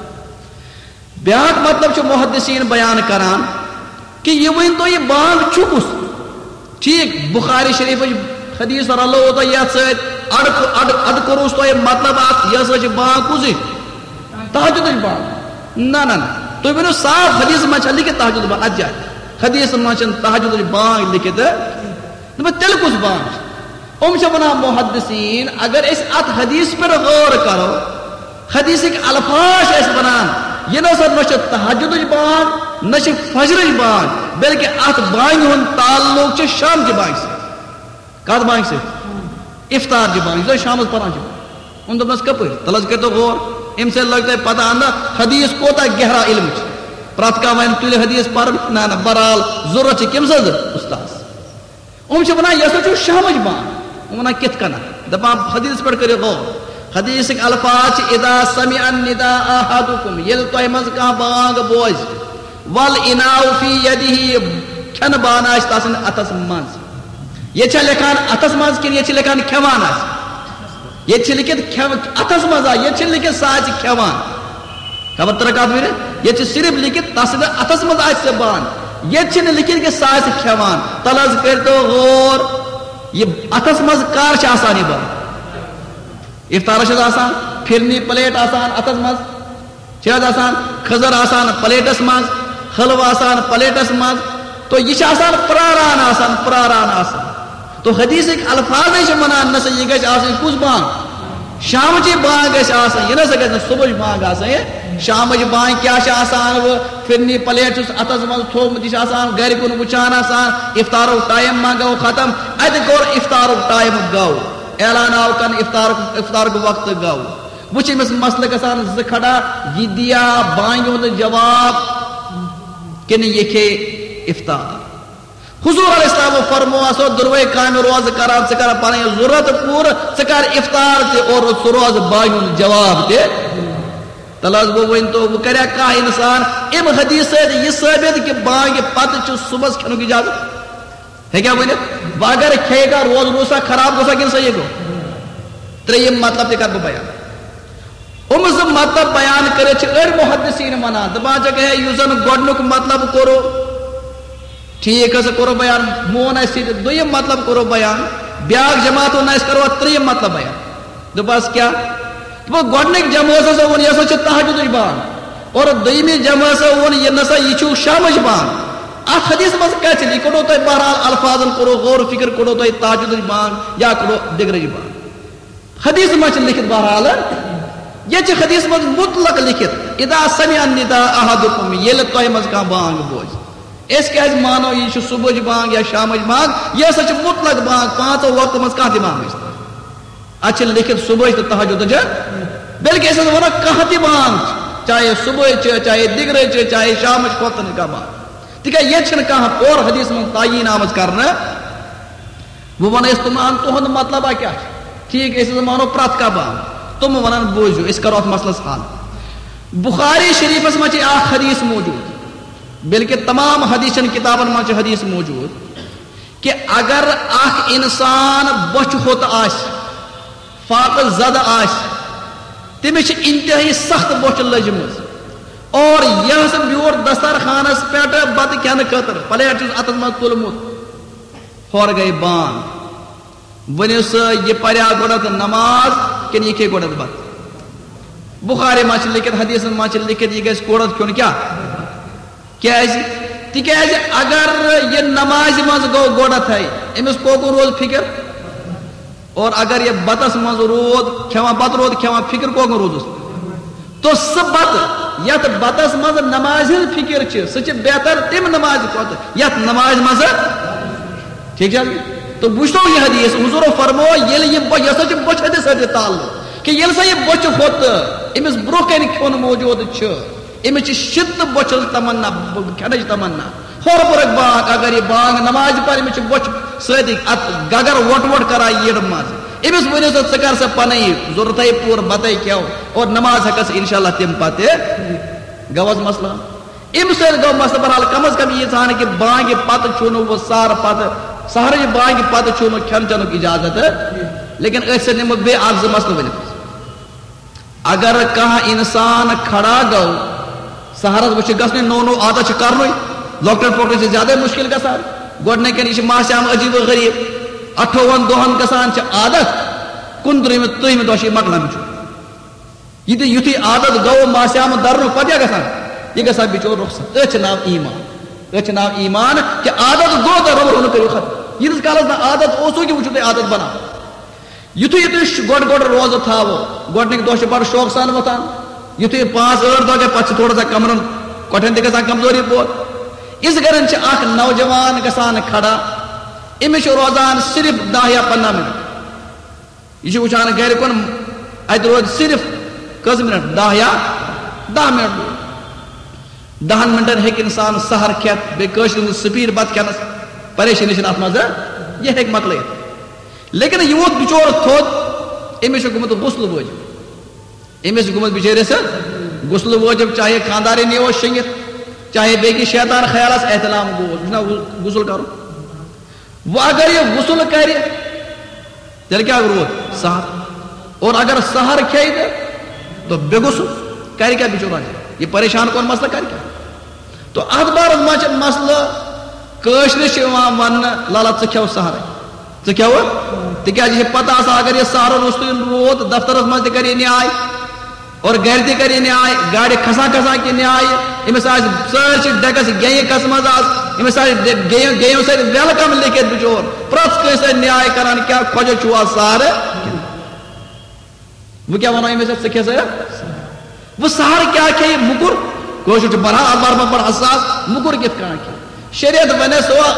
بیٛاکھ مطلب چھُ محدثین بیان کران کہ یہِ ؤنۍ تو، یہِ بانگ چھُ کُس؟ ٹھیٖک، بخاری شریفٕچ حدیث رلٲو تۄہہِ یتھ سۭتۍ، اڈ، اڈ، اڈ کوٚروس تۄہہِ مطلب اکھ، یہِ ہسا چھِ بانگ کُس ہِش؟ تہجدٕچ بانگ۔ نہ، نہ، نہ۔ تُہۍ ؤنِو صاف، حدیث منٛز چھا لیکھِتھ تہجد بانگ؟ اتھ جایہِ حدیث منٛز چھنہٕ تہجدٕچ بانگ لیکھِتھ۔ دوٚپُن، تیٚلہِ کُس بانگ چھِ؟ یِم چھِ ونان محدثین، اگر أسۍ اتھ حدیث پٮ۪ٹھ غور کرو، حدیثٕکۍ الفاظ چھِ اَسہِ وَنان، یہِ نہ سا نہ چھِ تہجدٕچ بانگ، نہ چھِ فجرٕچ بانگ، بلکہِ اَتھ بانگہِ ہُنٛد تعلق چھُ شامچہِ بانگہِ سۭتۍ۔ کَتھ بانگہِ سۭتۍ؟ افطارچہِ بانگہِ، یُس أسۍ شامَس پَران چھِ۔ وۄنۍ دوٚپنَس، کَپٲرۍ؟ تَلہٕ حظ کٔرۍتو غور، اَمہِ سۭتۍ لَگہِ تۄہہِ پَتہ اَندَر حدیث کوٗتاہ گہرا علم چھُ۔ پرٛٮ۪تھ کانٛہہ وَنہِ تُلہِ حدیث پَرُن، نہ، نہ، بہرحال ضروٗرت چھِ کٔمۍ سٕنٛز؟ اُستاذ۔ یِم چھِ وَنان، یہِ ہسا چھُ شامٕچ بانگ۔ یِم وَنان، کِتھ کٔنۍ؟ دَپان، حدیث پٮ۪ٹھ کٔرِو غور۔ حدیثٕکۍ الفاظ چھِ، "اذا سمع النداء احدکم"، ییٚلہِ تۄہہِ منٛز کانٛہہ بانگ بوزِ، "والاناء فی یدہ"، کھٮ۪نہٕ بانہٕ آسہِ تَس سٕنٛدِ اَتھس منٛز۔ ییٚتہِ چھا لیکھان اَتھس منٛز کِنہٕ ییٚتہِ چھِ لیکھان کھٮ۪وان آسہِ؟ ییٚتہِ چھِ لیکھِتھ کھٮ۪و-، اَتھس منٛز آ، ییٚتہِ چھِنہٕ لیکھِتھ سُہ آسہِ کھٮ۪وان۔ خبر ترٛکھ کَتھ وَنہِ؟ ییٚتہِ چھِ صرف لیکھِتھ تَس سٕنٛدِ اَتھس منٛز آسہِ سۄ بانگ۔ ییٚتہِ چھِنہٕ لیکھِتھ کہِ سُہ آسہِ کھٮ۪وان۔ تَلہٕ حظ کٔرۍتو غور، یہِ اَتھس منٛز کر چھِ آسان یہِ بانگ؟ افطارس چھِ آسان پھِرنی پلیٹ آسان اَتھس منٛز۔ چھِ حظ آسان کھٔزٕر آسان پلیٹس منٛز، حلوٕ آسان پلیٹس منٛز، تو یہِ چھِ آسان پراران آسان، پراران آسان۔ تو حدیثٕکۍ الفاظے چھِ وَنان، نہ سا یہِ گژھِ آسٕنۍ کُس بانگ؟ شامچی بانگ گژھِ آسٕنۍ، یہِ نہ سا گژھِ نہٕ صبحٕچ بانگ آسٕنۍ۔ شامٕچ بانگ کیٛاہ چھِ آسان؟ وۄنۍ پھِرنی پلیٹ چھُس اَتھس منٛز تھوٚومُت، یہِ چھُ آسان گرِ کُن وٕچھان آسان، افطارُک ٹایم ما گوٚو ختم؟ اَتہِ کوٚر افطارُک ٹایم گوٚو، اعلان آو کرنہٕ افطارُک، افطارُک وقت گوٚو۔ وٕچھ أمِس مسلہٕ گژھان زٕ کھڑا، یہِ دِیا بانگہِ ہُنٛد جواب کِنہٕ یہِ کھے افطار؟ حضور علیہ السلام فرمو، آسو دۄنوَے کامہِ روزٕ کران، ژٕ کر پنٕنۍ ضروٗرت پوٗرٕ، ژٕ کر افطار تہِ اور ژٕ روز بانگہِ ہُنٛد جواب تہِ۔ تَلہٕ حظ گوٚو، وۄنۍ تو وۄنۍ کریا کانٛہہ انسان اَمہِ حدیث سۭتۍ یہِ ثٲبت کہِ بانگہِ پتہٕ چھُ صبحس کھٮ۪نُک اجازت؟ ہیٚکیٛاہ ؤنِتھ؟ وۄنۍ اگر کھیٚیہِ کانٛہہ، روزٕ روٗد سا خراب، گوٚو سا کِنہٕ صحیح گوٚو؟ ترٛیٚیِم مطلب تہِ کَرٕ بہٕ بیان۔ یِم زٕ مطلب بیان کٔرِتھ چھِ أڑۍ محدثیٖن وَنان، دَپان چھِکھ، ہے، یُس زَن گۄڈٕنیُک مطلب کوٚرُو، ٹھیٖک ہسا کوٚرُو بیان، مون اَسہِ سۭتۍ، دوٚیِم مطلب کوٚرُو بیان، بیٛاکھ جماعت ووٚن، اَسہِ کَرو اَتھ ترٛیٚیِم مطلب بیان۔ دوٚپہَس، کیٛاہ؟ دوٚپُکھ، گۄڈٕنِکۍ جمٲژ ہسا ووٚن، یہِ ہسا چھِ تہجدٕچ بانگ۔ اور دوٚیمہِ جمٲژ ہسا ووٚن، یہِ نسا، یہِ چھُ شامٕچ بانگ۔ اَتھ حدیث منٛز کَتہِ چھِ؟ یہِ کوٚڑو تۄہہِ بہرحال الفاظن، کوٚڑو غور و فکر، کوٚڑو تۄہہِ تہجدٕچ بانگ یا کوٚڑو دِگرٕچ بانگ۔ حدیث منٛز چھِ لیکھِتھ بہرحال، ییٚتہِ چھِ حدیث منٛز مطلق لیکھِتھ، "اذا سمع النداء احدکم"، ییٚلہِ تۄہہِ منٛز کانٛہہ بانگ بوزِ۔ أسۍ کیٛازِ مانو یہِ چھِ صبحٕچ بانگ یا شامٕچ بانگ؟ یہِ ہسا چھِ مطلق بانگ، پانٛژو وقتو منٛز کانٛہہ تہِ بانگ ٲسِتن۔ اَتھ چھِ لیکھِتھ صبحٕچ تہٕ تہجدٕچ، بلکہِ أسۍ ہسا وَنو کانٛہہ تہِ بانگ، چاہے صبحٕچ چھِ، چاہے دِگرٕچ چھِ، چاہے شامٕچ، کھۄتہٕ نہٕ کانٛہہ بانگ۔ تِکیٛازِ ییٚتہِ چھِنہٕ کانٛہہ اورٕ حدیث منٛز تعیٖن آمٕژ کرنہٕ۔ وۄنۍ وَنو أسۍ تِمن، تُہُنٛد مطلب کیٛاہ چھُ؟ ٹھیٖک، أسۍ ہسا مانو پرٛٮ۪تھ کانٛہہ بانگ۔ تِم ونان، بوٗزِو، أسۍ کرو اتھ مسلس حل۔ بخاری شریفس منٛز چھِ اکھ حدیث موجود، بلکہ تمام حدیثن کتابن منٛز چھِ حدیث موجود کہ اگر اکھ انسان بۄچھِ ہوٚت آسہِ، فاقہ زدہ آسہِ، تٔمِس چھِ انتہٲئی سخت بۄچھِ لٔجمٕژ، اور یۄس بیوٗٹھ دسترخوانس پٮ۪ٹھ بتہٕ کھٮ۪نہٕ خٲطرٕ پلیٹ چھُس اتھس منٛز تُلمُت، ہورٕ گٔے بانگ۔ ؤنِو سا، یہِ پریا گۄڈٕ نماز کِنہٕ یہِ کھیٚیہِ گۄڈٕ بتہٕ؟ بخاری منٛز چھِ لیکھِتھ، حدیثن منٛز چھِ لیکھِتھ، یہِ گژھِ گۄڈٕ کھیوٚن کیٛاہ؟ کیٛازِ؟ تِکیٛازِ اگر یہِ نمازِ منٛز گوٚو گۄڈٕتھے، أمِس کوکُن روز فکر؟ اور اگر یہِ بتس منٛز روٗد کھٮ۪وان، بتہٕ روٗد کھٮ۪وان، فکر کوکُن روٗدُس؟ تو سُہ بتہٕ یتھ بتس منٛز نمازِ ہٕنٛز فکر چھِ، سُہ چھِ بہتر تمہِ نمازِ کھۄتہٕ یتھ نمازِ منٛز۔ ٹھیٖک چھا؟ تو وٕچھتو یہِ حدیث، حضوٗرو فرمو، ییٚلہِ یہِ بۄ-، یہِ ہسا چھِ بۄچھِ ہٕنٛدِس سۭتۍ تعلق، کہ ییٚلہِ سا یہِ بۄچھِ ہوٚت أمِس برونٛہہ کنہِ کھیوٚن موجود چھُ، أمِس چھِ شدت بۄچھِ ہٕنٛز تمنا، ب-، کھٮ۪نٕچ تمنا۔ ہورٕ پرکھ بانگ، اگر یہِ بانگ نمازِ پرِ، أمِس چھِ بۄچھِ سۭتۍ اتھ گگر وۄٹ وۄٹ کران یٔڈ منٛز۔ أمِس ؤنِو سا، ژٕ کر سا پنٕنۍ ضروٗرتھے پوٗرٕ، بتے کھٮ۪و اور نماز ہٮ۪کس انشاءاللہ تمہِ پتہٕ۔ گوٚو حظ مسلہٕ؟ أمۍ سۭتۍ گوٚو مسلہٕ۔ بہرحال، کم از کم ییٖژ ہن کہِ بانگہِ پتہٕ چھُنہٕ وۄنۍ سحرٕ پتہٕ، سحرٕچ بانگہِ پتہٕ چھُنہٕ کھٮ۪ن چٮ۪نُک اجازت۔ لیکن أتھۍ سۭتۍ نِمہٕ بہٕ بیٚیہِ اکھ زٕ مسلہٕ ؤنِتھ۔ اگر کانٛہہ انسان کھڑا گوٚو، سحرس وۄنۍ چھُ گژھنٕے، نوٚو نوٚو عادت چھُ کرنُے، لۄکٹٮ۪ن پۄکٹٮ۪ن چھُ زیادے مشکل گژھان۔ گۄڈٕنِکٮ۪ن یہِ چھُ ماسہِ عام عجیب و غریب، اَٹھووُہن دۄہن گژھان چھِ عادت، کُنترٕہمہِ ترٕہمہِ دۄہ چھُ یہِ مۄکلان بِچور۔ یہِ تہِ یُتھُے عادت گوٚو ماسہِ عام درنُک، پتہٕ کیٛاہ گژھان؟ یہِ گژھان بِچور رۄخصت۔ أتھۍ چھُ ناو ایمان۔ أتھۍ چھُ ناو ایمان کہِ عادت گوٚو تہٕ رۄب رۄب کٔرِو ختم۔ ییٖتِس کالس نہٕ عادت اوسُے، کہِ وۄنۍ چھُو تۄہہِ عادت بناوُن۔ یُتھُے یُتھُے ش-، گۄڈٕ گۄڈٕ روزٕ تھاوو، گۄڈٕنِکۍ دۄہ چھِ بڑٕ شوقہٕ سان وۄتھان، یُتھُے پانٛژھ ٲٹھ دۄہ گٔے، پتہٕ چھِ تھوڑا سا کمرن کۄٹھٮ۪ن تہِ گژھان کمزوری پٲدٕ۔ یِژھ گرن چھِ اکھ نوجوان گژھان کھڑا، أمِس چھُ روزان صرف دَہ یا پنٛداہ منٹ۔ یہِ چھُ وٕچھان گرِ کُن، اتہِ روزِ صرف کٔژ منٹ؟ دَہ یا دَہ منٹ۔ دَہن منٹن ہیٚکہِ انسان سحر کھٮ۪تھ، بیٚیہِ کٲشرِ ہٕنٛز سپیڈ بتہٕ کھٮ۪نس، پریشٲنی چھنہٕ اتھ منٛز، یہِ ہیٚکہِ مۄکلٲیِتھ۔ لیکن یہِ ووت بِچور تھوٚد، أمِس چھُ گوٚمُت غسل وٲجِب۔ أمِس چھُ گوٚمُت بِچٲرِس غسل وٲجِب، چاہے خانٛدارِنۍ یہِ اوس شٔنگِتھ، چاہے بیٚیہِ کینٛہہ شیطان خیال آسہِ، احتلام گوٚو، یہِ چھُنہ غسل کرُن۔ وۄنۍ اگر یہِ غسل کرِ، تیٚلہِ کیٛاہ روٗد؟ سحر۔ اور اگر سحر کھیٚیہِ تہٕ، تہٕ بے غسل کرِ کیٛاہ بِچور؟ یہِ پریشان کون مسلہٕ کرِ کیٛاہ؟ تو اتھ بارس منٛز چھِ مسلہٕ، کٲشرِس چھِ یِوان وننہٕ، "لالا، ژٕ کھٮ۪و سحرٕے، ژٕ کھٮ۪وٕ؟" تِکیٛازِ یہِ چھِ پتہ آسان، اگر یہِ سحرٕ روٚستُے روٗد، دفترس منٛز تہِ کرِ یہِ نیاے، اور گرِ تہِ کرِ یہِ نیاے، گاڑِ کھسان کھسان کہِ نیاے، أمِس آسہِ سٲرسٕے ڈیکس گیٚیہِ کس منٛز آسہِ، أمِس آسہِ ڈے-، گیٚیو، گیٚیو سۭتۍ welcome لیکھِتھ بِچور، پرٛٮ۪تھ کٲنٛسہِ سۭتۍ نیاے کران، کیٛاہ خۄجہ چھُوا سحرٕ؟ وۄنۍ کیٛاہ ونو أمِس، ژٕ کھےٚ سا؟ وۄنۍ سحر کیٛاہ کھیٚیہِ؟ مُکُر۔ کٲشُر چھُ بڑٕ اخبار منٛز بڑٕ حساس، مُکُر کِتھ کٔنۍ کھیٚیہِ؟ شریعت ونیس، ہو،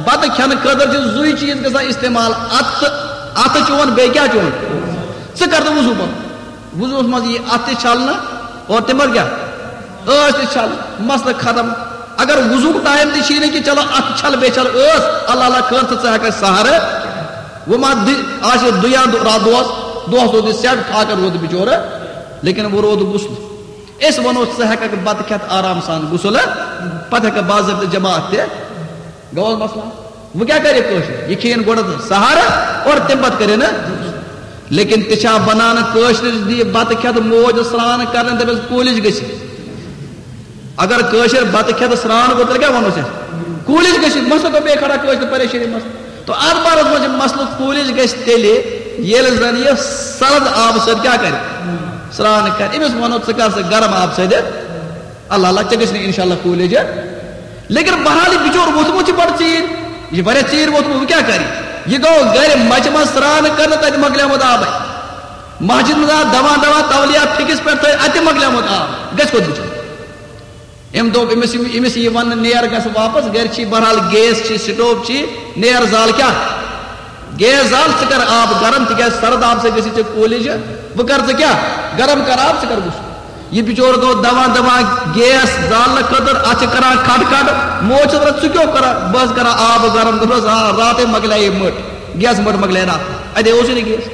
بتہٕ کھٮ۪نہٕ خٲطرٕ چھِ زُے چیٖز گژھان استعمال، اتہٕ، اتہٕ چون، بیٚیہِ کیٛاہ چون؟ ژٕ کر تہٕ وضو پنُن۔ وضوس منٛز یی اتھٕ تہِ چھلنہٕ اور تمہِ پتہٕ کیٛاہ؟ ٲس تہِ چھلنہٕ، مسلہٕ ختم۔ اگر وضوک ٹائم تہِ چھُے نہٕ کہِ چلو اتھٕ چھل بیٚیہِ چھل ٲس، اللہ اللہ خٲر تہٕ ژٕ ہٮ۪کھ سحرٕ۔ وۄنۍ ما دِ-، آسہِ دُیان دۄہ، راتھ دۄہس، دۄہس روٗد یہِ سیٹ فاقہٕ روٗد بِچورٕ، لیکن وۄنۍ روٗد غسل۔ أسۍ ونو ژٕ ہٮ۪ککھ بتہٕ کھٮ۪تھ آرام سان غسل، پتہٕ ہٮ۪ککھ باضٲبطہٕ جماعت تہِ۔ گوٚو حظ مسلہٕ؟ وۄنۍ کیٛاہ کرِ کٲشُر؟ یہِ کھیٚیِن گۄڈٕ سحر اور تمہِ پتہٕ کرِ نہٕ۔ لیکن تہِ چھا بنان کٲشرِس دِ بتہٕ کھٮ۪تھ موج سرٛان کرنہٕ دپٮ۪س کوٗلِج گٔژھِتھ؟ اگر کٲشِر بتہٕ کھٮ۪تھ سرٛان کوٚر، تیٚلہِ کیٛاہ وَنو أسۍ؟ کوٗلِج گٔژھِتھ، مسلہٕ گوٚو بیٚیہِ کھڑا کٲشِر پریشٲنی منٛز۔ تو اَتھ بارس منٛز چھِ مسلہٕ، کوٗلِج گژھِ تیٚلہِ، ییٚلہِ زن یہِ سرد آبہٕ سۭتۍ کیٛاہ کرِ؟ سرٛان کرِ۔ أمِس وَنو، ژٕ کر سا گرم آبہٕ سۭتۍ۔ اللہ اللہ، ژےٚ گژھِ نہٕ انشاءاللہ کوٗلِج۔ لیکن بہرحال، یہِ بِچور ووٚتھمُت چھُ بڑٕ ژیٖرۍ، یہِ چھُ واریاہ ژیٖرۍ ووٚتھمُت، وۄنۍ کیٛاہ کرِ؟ یہِ گوٚو گرِ مچہِ منٛز سرٛان کرنہٕ، تتہِ مۄکلیومُت آبے۔ مسجد منٛز آو دوا دوا تولیہ پھکِس پٮ۪ٹھ تھٲوِتھ، اتہِ مۄکلیومُت آب، گژھِ کوٚت بِچور؟ أمۍ دوٚپ، أمِس، أمِس یہِ وننہٕ، "نیر گژھ واپس، گرِ چھی بہرحال گیس چھی، سٹوو چھی، نیر زال کیٛاہ؟ گیس زال، ژٕ کر آب گرم، تِکیٛازِ سرد آب سۭتۍ گژھی ژےٚ کوٗلِج، وۄنۍ کر ژٕ کیٛاہ؟ گرم کر آب، ژٕ کر غسل۔" یہِ بِچور گوٚو دوان دوان گیس زالنہٕ خٲطرٕ، اتھ چھِ کران کھٹ کھٹ، موج چھِ دپان، "ژٕ کیٛاہ کران؟" "بہٕ حظ کران آب گرم۔" دوٚپنس، "آ، راتھے مۄکلیے مٔٹ، گیس مٔٹ مۄکلیے راتھ، اتے اوسُے نہٕ گیس۔"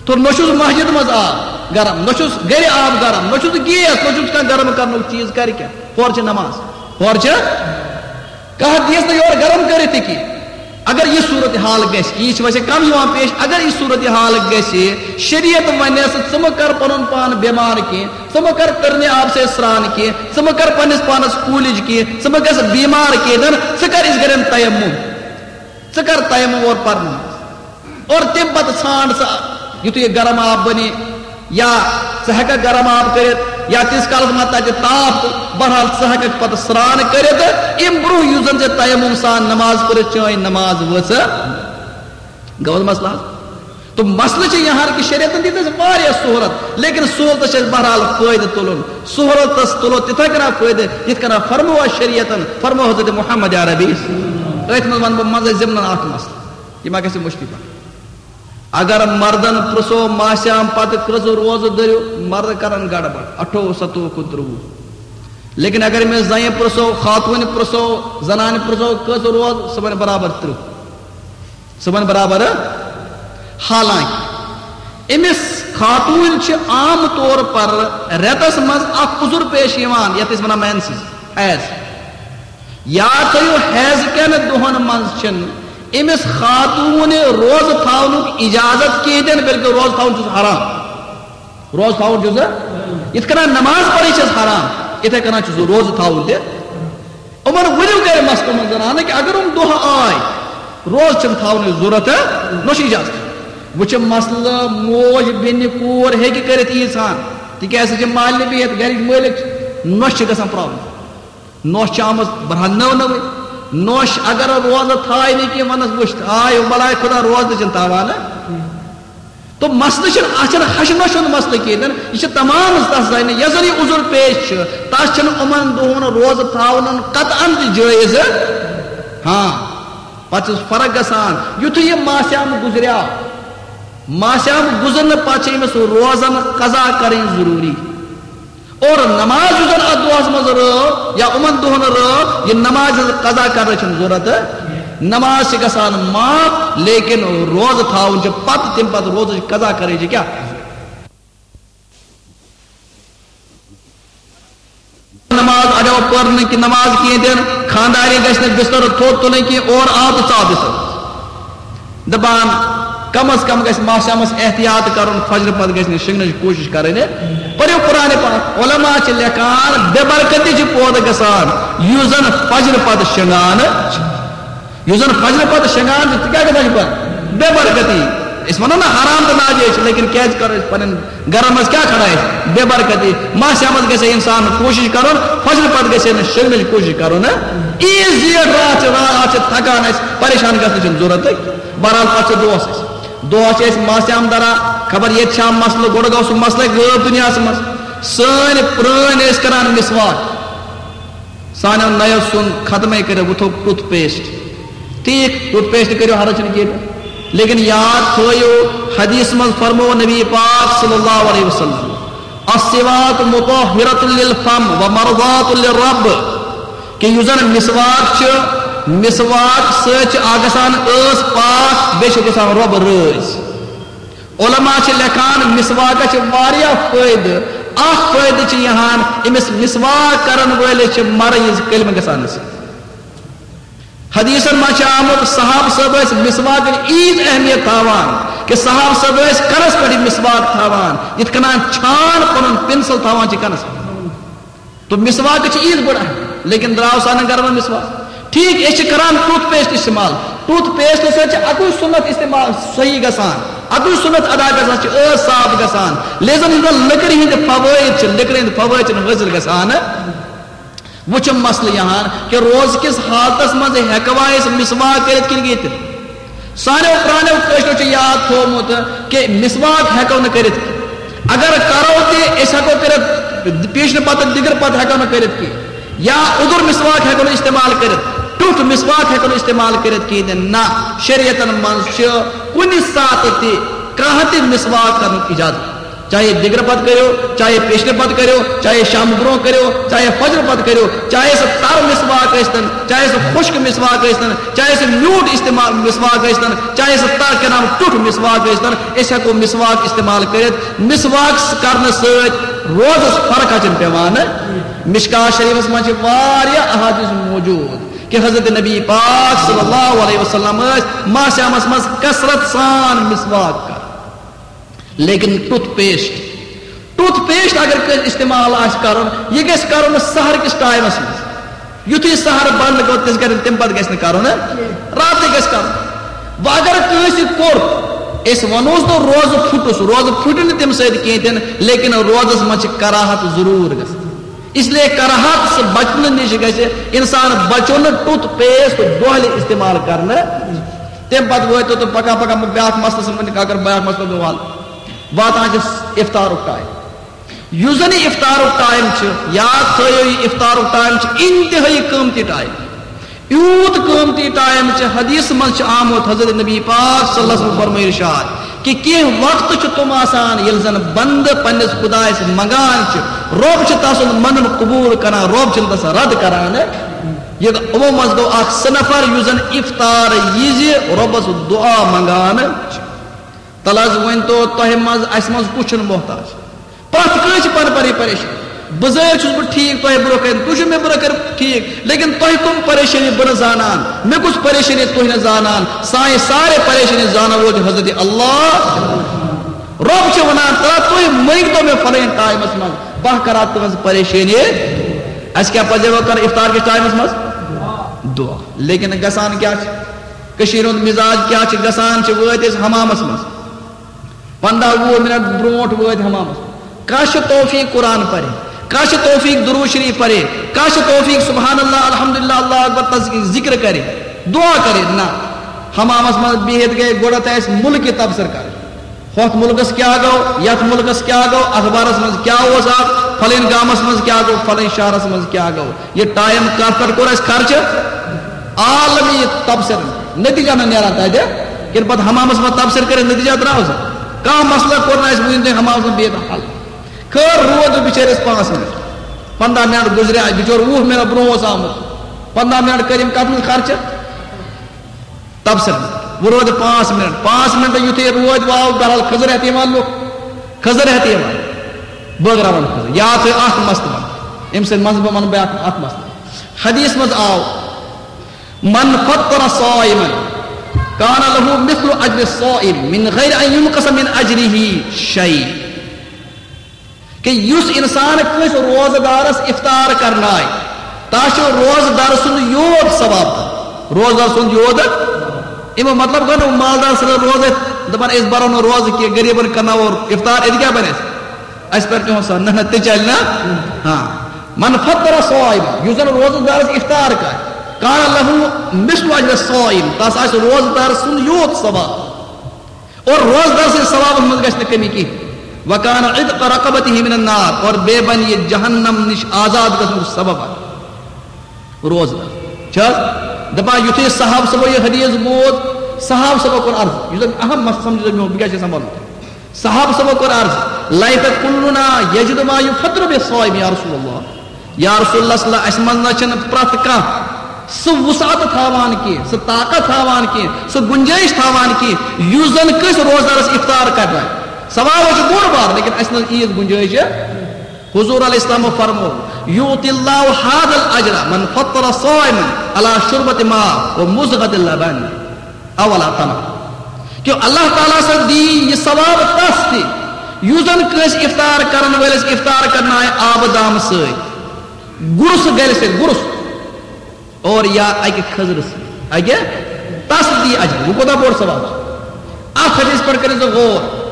تو نہ چھُس مسجد منٛز آب۔ گرم، نہ چھُس گرِ آب گرم، نہ چھُس گیس، نہ چھُس کانٛہہ گرم کرنُک چیٖز، کرِ کیٛاہ؟ ہورٕ چھِ نماز، ہورٕ چھِ کانٛہہ دیٖژ نہٕ یورٕ گرم کٔرِتھ تہِ کینٛہہ۔ اگر یہِ صورت حال گژھِ، یہِ چھِ ویسے کم یِوان پیش، اگر یہِ صورت حال گژھِ، شریعت ونٮ۪س، ژٕ مہ کر پنُن پان بٮ۪مار کینٛہہ، ژٕ مہ کر تٔرنہِ آبہٕ سۭتۍ سرٛان کینٛہہ، ژٕ مہ کر پننِس پانس کوٗلِج کینٛہہ، ژٕ مہ گژھ بیمار کینٛہہ، دَپان، ژٕ کر یِتھ کٔنۍ تیمم، ژٕ کر تیمم اور پر نماز۔ اور تمہِ پتہٕ ژھانڈ ژٕ، یُتھُے یہِ گرم آب بنہِ یا ژٕ ہیٚککھ گرم آب کٔرِتھ یا تیٖتِس کالس ما تتہِ تاپھ تہٕ بہرحال ژٕ ہیٚککھ پتہٕ سرٛان کٔرِتھ، امہِ برونٛہہ یُس زن ژےٚ تیمم سان نماز پٔرِتھ چٲنۍ نماز ؤژھ۔ گوٚو حظ مسلہٕ حظ؟ تہٕ مسلہٕ چھُ یہِ ہن کہِ شریعتن دِژ اَسہِ واریاہ سہولت، لیکن سہولتس چھُ اَسہِ بہرحال فٲیدٕ تُلُن۔ سہولتس تُلو تِتھے کٔنۍ فٲیدٕ، یِتھ کٔنۍ فرموو اَسہِ شریعتن، فرموو حضرت محمد عربی۔ أتھۍ منٛز ونہٕ بہٕ منٛزے ضمنن اکھ مسلہٕ، یہِ ما گژھِ مُشکِل پہن۔ اگر مردن پرژھو ماہ صیام پتہٕ کٔژ روزٕ دٔرِو، مرد کرن گڑبڑ، اٹھووُہ، ستووُہ، کُنترٛوُہ۔ لیکن اگر مےٚ زنہِ پرژھو، خاتوٗنہِ پرژھو، زنانہِ پرژھو کٔژ روزٕ، سُہ ونہِ برابر ترٕٛہ۔ سُہ ونہِ برابر۔ حالانکہ أمِس خاتوٗن چھِ عام طور پر رٮ۪تس منٛز اکھ عذر پیش یِوان، یتھ أسۍ ونان مینسز، حیض۔ یاد تھٲیِو، حیض کٮ۪ن دۄہن منٛز چھِنہٕ أمِس خاتوٗنہِ روزٕ تھاونُک اجازت کِہیٖنۍ تہِ نہٕ، بلکہِ روزٕ تھاوُن چھُس حرام۔ روزٕ تھاوُن چھُس، یِتھ کٔنۍ نماز پرٕنۍ چھَس حرام، یِتھے کٔنۍ چھُ سُہ روزٕ تھاوُن تہِ۔ یِمن ؤنِو گرِ مسلمن زنانہٕ کہِ اگر یِم دۄہ آے، روزٕ چھِنہٕ تھاونٕچ ضروٗرت، نہ چھُ اجازت۔ وۄنۍ چھُ مسلہٕ، موج بیٚنہِ کوٗر ہیٚکہِ کٔرِتھ ییٖژ ہن، تِکیازِ سۄ چھِ مالنہِ بِہِتھ، گرِچ مٲلِک چھِ، نۄشہِ چھِ گژھان پرابلم۔ نوش چھِ آمٕژ برہن نٔو نٔوٕے۔ نوش اگر روزٕ تھایہِ نہٕ کینٛہہ، وَنَس وٕچھ، آے بلاے خدا روزٕ تہِ چھِنہٕ تھاوان۔ تو مسلہٕ چھُنہٕ، اَتھ چھُنہٕ ہَشہِ نوشہِ ہُنٛد مسلہٕ کینٛہہ، یہِ چھِ تمام تَس زَنہِ، یۄس زَن یہِ عذر پیش چھِ، تَس چھِنہٕ یِمَن دۄہَن روزٕ تھاوُن قطعاً تہِ جٲیِز۔ ہاں، پَتہٕ چھِ فرق گژھان، یُتھُے یہِ ماہ صیام گُزریٛاو، ماہ صیام گُزرنہٕ پَتہٕ چھِ أمِس روزَن قضا کَرٕنۍ ضروٗری۔ اور نماز یُس زن اتھ دۄہس منٛز رٲو یا یِمن دۄہن رٲو، یہِ نماز ہٕنٛز قضا کرنٕچ چھنہٕ ضرورت۔ نماز چھِ گژھان معاف، لیکن روزٕ تھاوُن چھُ پتہٕ، تمہِ پتہٕ روزٕچ قضا کرٕنۍ چھِ کیٛاہ؟ نماز اگر پٔر نہٕ کہِ نماز کینٛہہ تہِ نہٕ، خانٛدارِنۍ گژھِ نہٕ بستر تھوٚد تُلٕنۍ کینٛہہ، اورٕ آو تہٕ ژاو بستر۔ دپان، کم از کم گژھِ ماہ صیامس احتیاط کرُن، فجر پتہٕ گژھِ نہٕ شنگنٕچ کوٗشش کرٕنۍ۔ پٔرِو قرآن پاک، علماء چھِ لیکھان، بے برکتی چھِ پٲدٕ گژھان، یُس زن فجر پتہٕ شنگان چھِ۔ یُس زن فجر پتہٕ شنگان چھِ، تہِ کیٛاہ گژھان چھِ پتہٕ؟ بے برکتی۔ أسۍ ونو نہ حرام تہٕ ناجٲیز چھِ، لیکن کیٛازِ کرو أسۍ پنٕنٮ۪ن گرن منٛز کیٛاہ کھڑا آسہِ؟ بے برکتی۔ ماہ صیامس گژھِ انسان کوٗشش کرُن، فجر پتہٕ گژھِ نہٕ شنگنٕچ کوٗشش کرُن۔ عیٖد زیٹھ راتھ چھِ، راتھ چھِ تھکان اَسہِ، پریشان گژھنٕچ چھنہٕ ضرورتٕے۔ بہرحال، پتہٕ چھِ دۄہس أسۍ، دۄہس چھِ أسۍ ماہ صیام دران، خبر ییٚتہِ چھا مسلہٕ، گۄڈٕ گوٚو سُہ مسلہٕ غٲب دُنیاہس منٛز۔ سٲنۍ پرٲنۍ ٲسۍ کران مسواک، سانیو نَیو ژھُن ختمٕے کٔرِتھ، وۄنۍ تھوٚو ٹُتھ پیسٹ۔ ٹھیٖک، ٹُتھ پیسٹ کٔرِو، حرج چھُنہٕ کینٛہہ۔ لیکن یاد تھٲیِو، حدیث منٛز فرموو نبی پاک صلی اللہ علیہ وسلم، "السواک مطہرۃ للفم و مرضات للرب"، کہ یُس زن مسواک چھُ، مسواک سۭتۍ چھِ اکھ گژھان ٲس پاک، بیٚیہِ چھِ گژھان رۄب رٲضۍ۔ علماء چھِ لیکھان، مسواکس چھِ واریاہ فٲیدٕ۔ اکھ فٲیدٕ چھِ یِہان، أمِس مسواک کرن وٲلِس چھِ مرض کلمہٕ گژھان نصیب۔ حدیثن منٛز چھِ آمُت، صحابہٕ صٲب ٲسۍ مسواکٕچ عیٖژ اہمیت تھاوان کہ صحابہٕ صٲب ٲسۍ کلس پٮ۪ٹھ یہِ مسواک تھاوان، یِتھ کٔنۍ چھان پنُن پنسل تھاوان چھِ کلس پٮ۪ٹھ۔ تو مسواک چھِ عیٖژ بٔڑ اہم، لیکن درٛاو سانٮ۪ن گرن منٛز مسواک۔ ٹھیٖک، أسۍ چھِ کران ٹُتھ پیسٹ استعمال۔ ٹُتھ پیسٹ سۭتۍ چھِ اَکُے سُنت استعمال صحیح گژھان، اَکُے سُنت ادا گژھان، چھِ ٲس صاف گژھان۔ لیکن یِم زَن لٔکرِ ہِنٛدۍ فوٲیِد چھِ، لٔکرِ ہِنٛدۍ فوٲیِد چھِنہٕ حٲصِل گژھان۔ وۄنۍ چھُ مسلہٕ یِہان کہ روزٕ کِس حالتس منٛز ہٮ۪کوا أسۍ مسواک کٔرِتھ کِنہٕ ییٚتہِ؟ سانیو پرانیو کٲشرو چھُ یاد تھومُت کہ مسواک ہٮ۪کو نہٕ کٔرِتھ۔ اگر کرو تہِ، أسۍ ہٮ۪کو کٔرِتھ، پیشنہٕ پتہٕ دِگر پتہٕ ہٮ۪کو نہٕ کٔرِتھ کینٛہہ۔ یا اوٚدُر مسواک ہٮ۪کو نہٕ استعمال کٔرِتھ، ٹیوٚٹھ مسواک ہٮ۪کو نہٕ استعمال کٔرِتھ کِہیٖنۍ تہِ نہ۔ شریعتن منٛز چھِ کُنہِ ساتہٕ تہِ کانٛہہ تہِ مسواک کرنُک اجازت۔ چاہے دِگرٕ پتہٕ کٔرِو، چاہے پیشرٕ پتہٕ کٔرِو، چاہے شامہٕ برونٛہہ کٔرِو، چاہے فجر پتہٕ کٔرِو، چاہے سُہ تر مسواک ٲسۍتن، چاہے سُہ خۄشک مسواک ٲسۍتن، چاہے سُہ میوٗٹھ استعمال مسواک ٲسۍتن، چاہے سُہ تر کنام ٹُٹھ مسواک ٲسۍتن، أسۍ ہٮ۪کو مسواک استعمال کٔرِتھ۔ مسواک کرنہٕ سۭتۍ روزس فرق چھنہٕ پٮ۪وان۔ مشکات شریفس منٛز چھِ واریاہ احادیث موجود کہ حضرت نبی پاک صلی اللہ علیہ وسلم ٲسۍ ماہ صیامس منٛز کثرت سان مسواک کران۔ لیکن ٹوتھ پیسٹ، ٹوتھ پیسٹ اگر کٲنٛسہِ استعمال آسہِ کرُن، یہِ گژھِ کرُن سحر کِس ٹایمس منٛز۔ یُتھُے سحر بند گوٚو، تِژھ گرِ تَمہِ پتہٕ گژھِ نہٕ کرُن، ہہ؟ راتٕے گژھِ کرُن۔ وۄنۍ اگر کٲنٛسہِ کوٚر، أسۍ ونوس نہٕ روزٕ پھُٹُس، روزٕ پھُٹہِ نہٕ تَمہِ سۭتۍ کینٛہہ تہِ نہٕ، لیکن روزس منٛز چھِ کراہت ضروٗر گژھان۔ اس لیے کراہت سے بچنہٕ نِش گژھِ انسان بچُن ٹوتھ پیسٹ دۄہلہِ استعمال کرنہٕ۔ تَمہِ پتہٕ وٲتِو تُہۍ پکان پکان بیٛاکھ مسلہٕ سمجھنہٕ، اگر بیٛاکھ مسلہٕ گوٚو حل، واتان چھِ افطارُک ٹایم۔ یُس زن یہِ افطارُک ٹایم چھُ، یاد تھٲیِو، یہِ افطارُک ٹایم چھُ انتہٲیی قۭمتی ٹایم۔ یوٗت قۭمتی ٹایم چھُ، حدیث منٛز چھُ آمُت، حضرت نبی پاک صلی اللہ علیہ وسلم فرمٲے ارشاد کہ کینٛہہ وقت چھُ تِم آسان ییٚلہِ زن بندٕ پننِس خدایس منٛگان چھُ، رۄب چھُ تسُنٛد منُن قبوٗل کران، رۄب چھُنہٕ تس رد کران۔ یہِ یِمو منٛز گوٚو اکھ سُہ نفر یُس زن افطار یِزِ رۄبس دعا منٛگان چھُ۔ تلہٕ حظ ؤنۍ تو تۄہہِ منٛز، اسہِ منٛز کُس چھُنہٕ محتاج؟ پرٛٮ۪تھ کٲنٛسہِ چھِ پنٕنۍ پنٕنۍ پریشٲنی۔ بہٕ زٲوِتھ چھُس بہٕ ٹھیٖک، تۄہہِ برونٛہہ کنہِ، تُہۍ چھِو مےٚ برونٛہہ کنہِ ٹھیٖک، لیکن تۄہہِ کٕم پریشٲنی بہٕ نہٕ زانان، مےٚ کُس پریشٲنی تُہۍ نہٕ زانان، سانہِ سارے پریشٲنی زانن وول چھُ حضرت اللہ۔ رۄب چھُ ونان، ترٛا تُہۍ مٔنگۍ تو مےٚ فلٲنۍ ٹایمس منٛز، بہٕ کرا تُہنٛز پریشٲنی۔ اسہِ کیٛاہ پزِ وۄنۍ کرُن افطار کِس ٹایمس منٛز؟ دعا۔ لیکن گژھان کیٛاہ چھُ؟ کٔشیٖرِ ہُنٛد مِزاج کیٛاہ چھُ؟ گژھان چھِ وٲتۍ أسۍ حمامس منٛز، پنٛداہ وُہ منٹ برونٛٹھ وٲتۍ حمامس۔ کانٛہہ چھُ توفیق قرآن پرِ، کانٛہہ چھُ توفیق درود شریف پرِ، کانٛہہ چھُ توفیق سبحان اللہ، الحمدللہ، اللہ اکبر، تسبیح، ذکر کرِ، دعا کرِ۔ نہ، حمامس منٛز بِہِتھ گٔے گۄڈٕ تہِ اَسہِ مُلکہِ تبصرٕ کرٕنۍ۔ ہۄتھ مُلکس کیٛاہ گوٚو، یتھ مُلکس کیٛاہ گوٚو، اخبارس منٛز کیٛاہ اوس آز، فلٲنۍ گامس منٛز کیٛاہ گوٚو، فلٲنۍ شہرس منٛز کیٛاہ گوٚو۔ یہِ ٹایم کتھ پٮ۪ٹھ کوٚر اَسہِ خرچہٕ؟ عالمی تبصرٕ۔ نتیجہ نہ نیران تتہِ، ییٚلہِ پتہٕ حمامس منٛز تبصرٕ کٔرِتھ نتیجہ درٛاو سا؟ کانٛہہ مسلہٕ کوٚر نہٕ اَسہِ وُنہِ تام حمامس منٛز بیٚیہِ دۄہ حل۔ خٲر، روٗد نہٕ بِچٲرِس پانٛژھ منٹ، پنٛداہ منٹ گُزرے، بِچور وُہ منٹ برونٛہہ اوس آمُت، پنٛداہ منٹ کٔرۍ أمۍ کتھ منٛز خرچہٕ؟ تبصرٕ۔ وۄنۍ روٗد پانٛژھ منٹ، پانٛژھ منٹ یُتھُے روٗد واو، بہرحال کھٔزٕر ہٮ۪تھ یِوان لُکھ، کھٔزٕر ہٮ۪تھ یِوان۔ بٲگراوان کھٔزٕر۔ یا تھٲیِو اکھ مسلہٕ وَنہٕ۔ أمۍ سٕنٛدِ منٛزٕ بہٕ وَنہٕ بیٛاکھ اکھ مسلہٕ۔ حدیث منٛز آو، "من فطر صائما کان له مثل اجر الصائم من غیر ان ينقص من اجره شيء"۔ کہ یُس انسان کٲنٛسہِ روزٕ دارس افطار کرنایہِ، تس چھُ روزٕ دار سُنٛد یوت ثواب دِوان۔ روزٕ دار سُنٛد یوت۔ اَمیُک مطلب گوٚو نہٕ مالدار سٕنٛز روزٕ دَپان أسۍ بَرو نہٕ روزٕ کینٛہہ، غریٖبن کرناوو افطار، أتی کیٛاہ بَنہِ اَسہِ؟ اَسہِ پٮ۪ٹھ تِہُنٛد سا نہ، نہ، تہِ چلہِ نہ۔ ہاں۔ من فطر صائما، یُس زن روزٕ دارس افطار کرِ، کان له مثل اجر الصائم، تس آسہِ روزٕ دار سُنٛد یوت ثواب۔ اور روزدار سٕنٛدِ ثوابس منٛز گژھِ نہٕ کمی کینٛہہ۔ وکان عتق رقبته من النار، اور بیٚیہِ بنہِ یہِ جہنم نِش آزاد گژھنُک سبب اکھ۔ روزدار چھِ حظ دپان، یُتھُے صحابہٕ صٲبو یہِ حدیث بوٗز، صحابہٕ صٲبو کوٚر عرض، یُس زن اہم مسلہٕ سمجھو میون، بہٕ کیٛاہ چھُس سنبھالُن؟ صحابہٕ صٲبو کوٚر عرض، لیت کلنا یجد ما یفطر به الصائم یا رسول اللہ۔ یا رسول اللہ صلی اللہ علیہ وسلم، اَسہِ منٛز نہ چھِنہٕ پرٛٮ۪تھ کانٛہہ سُہ وسعت تھاوان کینٛہہ، سُہ طاقت تھاوان کینٛہہ، سُہ گُنجٲیِش تھاوان کینٛہہ، یُس زَن کٲنٛسہِ روزدارَس افطار کَرنایہِ۔ ثواب چھُ بوٚڑ بار، لیکن اَسہِ منٛز ییٖژ گُنجٲیِش چھِ۔ حضور علیہ السلام فرمو، یؤتی اللہ هذا الاجر من فطر صائما علی شربۃ ماء و مضغۃ لبن۔ اولا تنہا۔ کہ اللہ تعالیٰ سا دی یہِ ثواب تس تہِ، یُس زن کٲنٛسہِ افطار کرن وٲلِس افطار کرنایہِ آبہٕ دامہٕ سۭتۍ، گُرُس گرِ سۭتۍ، گُرُس، اور یا اکہِ کھٔزرٕ سۭتۍ، اکہِ تس دی اجر۔ وۄنۍ کوٗتاہ بوٚڑ ثواب چھُ؟ اتھ حدیث پٮ۪ٹھ کٔرِو سا غور۔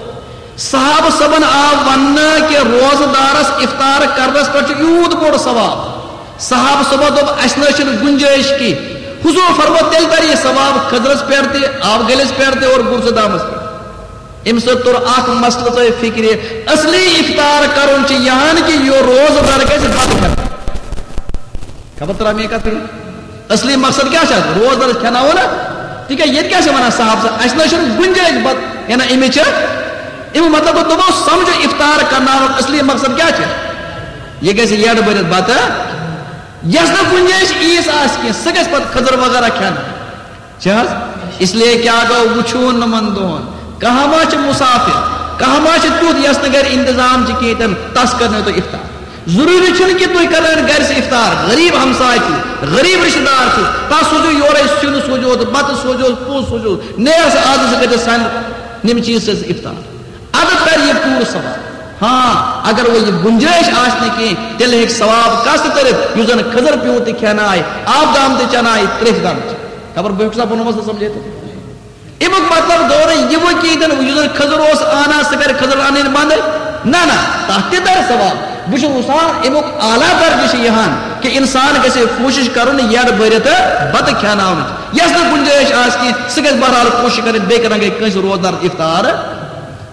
صحابہٕ صٲبن آو وننہٕ کہ روزٕ دارس افطار کرنس پٮ۪ٹھ چھُ یوٗت بوٚڑ ثواب۔ صحابہٕ صٲبو دوٚپ، "اَسہِ نہ حظ چھِنہٕ گُنجٲیِش کینٛہہ۔" حضور فرموو، "تیٚلہِ تَرِ یہِ ثواب کھٔزرَس پٮ۪ٹھ تہِ، آبہٕ گٔلِس پٮ۪ٹھ تہِ اور گُرزٕ دامَس پٮ۪ٹھ۔" اَمہِ سۭتۍ توٚر اَکھ مسلہٕ تۄہہِ فِکرِ، اصلی افطار کَرُن چھُ یِہَن کہِ یہِ روزٕ دار گژھِ بَتہٕ کھٮ۪تھ۔ خبر ترٛا مےٚ کَتھ فِکرِ؟ اصلی مقصد کیٛاہ چھُ اَتھ؟ روزٕ دارَس کھٮ۪ناوو نا؟ تِکیٛازِ ییٚتہِ کیٛاہ چھِ وَنان صحابہٕ صٲب؟ اَسہِ نہ حظ چھُنہٕ گُنجٲیِش بَتہٕ، یہِ نہ أمِس چھِ اَمیُک مطلب گوٚو، دوٚپمو، سمجھو، افطار کرناونُک اصلی مقصد کیٛاہ چھُ؟ یہِ گژھِ یڈ بٔرِتھ بتہٕ، یَس نہٕ گُنجٲیِش عیٖس آسہِ کینٛہہ، سُہ گژھِ پتہٕ کھٔزٕر وغیرہ کھٮ۪نہٕ۔ چھِ حظ؟ اس لیے کیٛاہ گوٚو، وٕچھوُن نہٕ یِمن دۄہن۔ کانٛہہ ما چھُ مُسافِر، کانٛہہ ما چھُ تیُتھ یَس نہٕ گرِ انتظام چھُ کِہیٖنۍ تہِ نہٕ، تَس کرنٲیِو تُہۍ افطار۔ ضروٗری چھُنہٕ کہِ تُہۍ کرنٲیِو گرِ سُہ افطار، غریٖب ہمساے چھُ، غریٖب رشتہٕ دار چھُ، تَس سوٗزِو یورَے سیُن سوٗزِو، بَتہٕ سوٗزِو، پوٗ سوٗزِو، نیر سا آزٕ سُہ کٔرِو سانہِ ییٚمہِ چیٖز سۭتۍ افطار۔ اَدٕ تَرِ یہِ پوٗرٕ ثواب۔ ہاں، اگر وۄنۍ یہِ گُنجٲیِش آسہِ نہٕ کینٛہہ، تیٚلہِ ہیٚکہِ ثواب کَس تہِ تٔرِتھ، یُس زَن کھٔزٕر پیوٗنٛت تہِ کھٮ۪نایہِ، آبہٕ دام تہِ چٮ۪نایہِ، ترٛیشہِ دام تہِ۔ خبر بہٕ ہیٚکہٕ سا پَنُن مسلہٕ سَمجھٲیِتھ؟ اَمیُک مطلب گوٚو نہٕ یہِ وۄنۍ کِہیٖنۍ تہِ نہٕ، یُس زَن کھٔزٕر اوس اَنان، سُہ کَرِ کھٔزٕر اَنٕنۍ بنٛدٕے۔ نہ، نہ، تَتھ تہِ تَرِ ثواب۔ بہٕ چھُس وٕچھان، اَمیُک اعلیٰ درجہٕ چھُ یِہَن کہِ اِنسان گژھِ کوٗشِش کَرُن یَڈ بٔرِتھ بَتہٕ کھٮ۪ناونٕچ۔ یَس نہٕ گُنجٲیِش آسہِ کینٛہہ، سُہ گژھِ بہرحال کوٗشِش کَرٕنۍ بیٚیہِ کَرَن گٔے کٲنٛسہِ روزدار افطار۔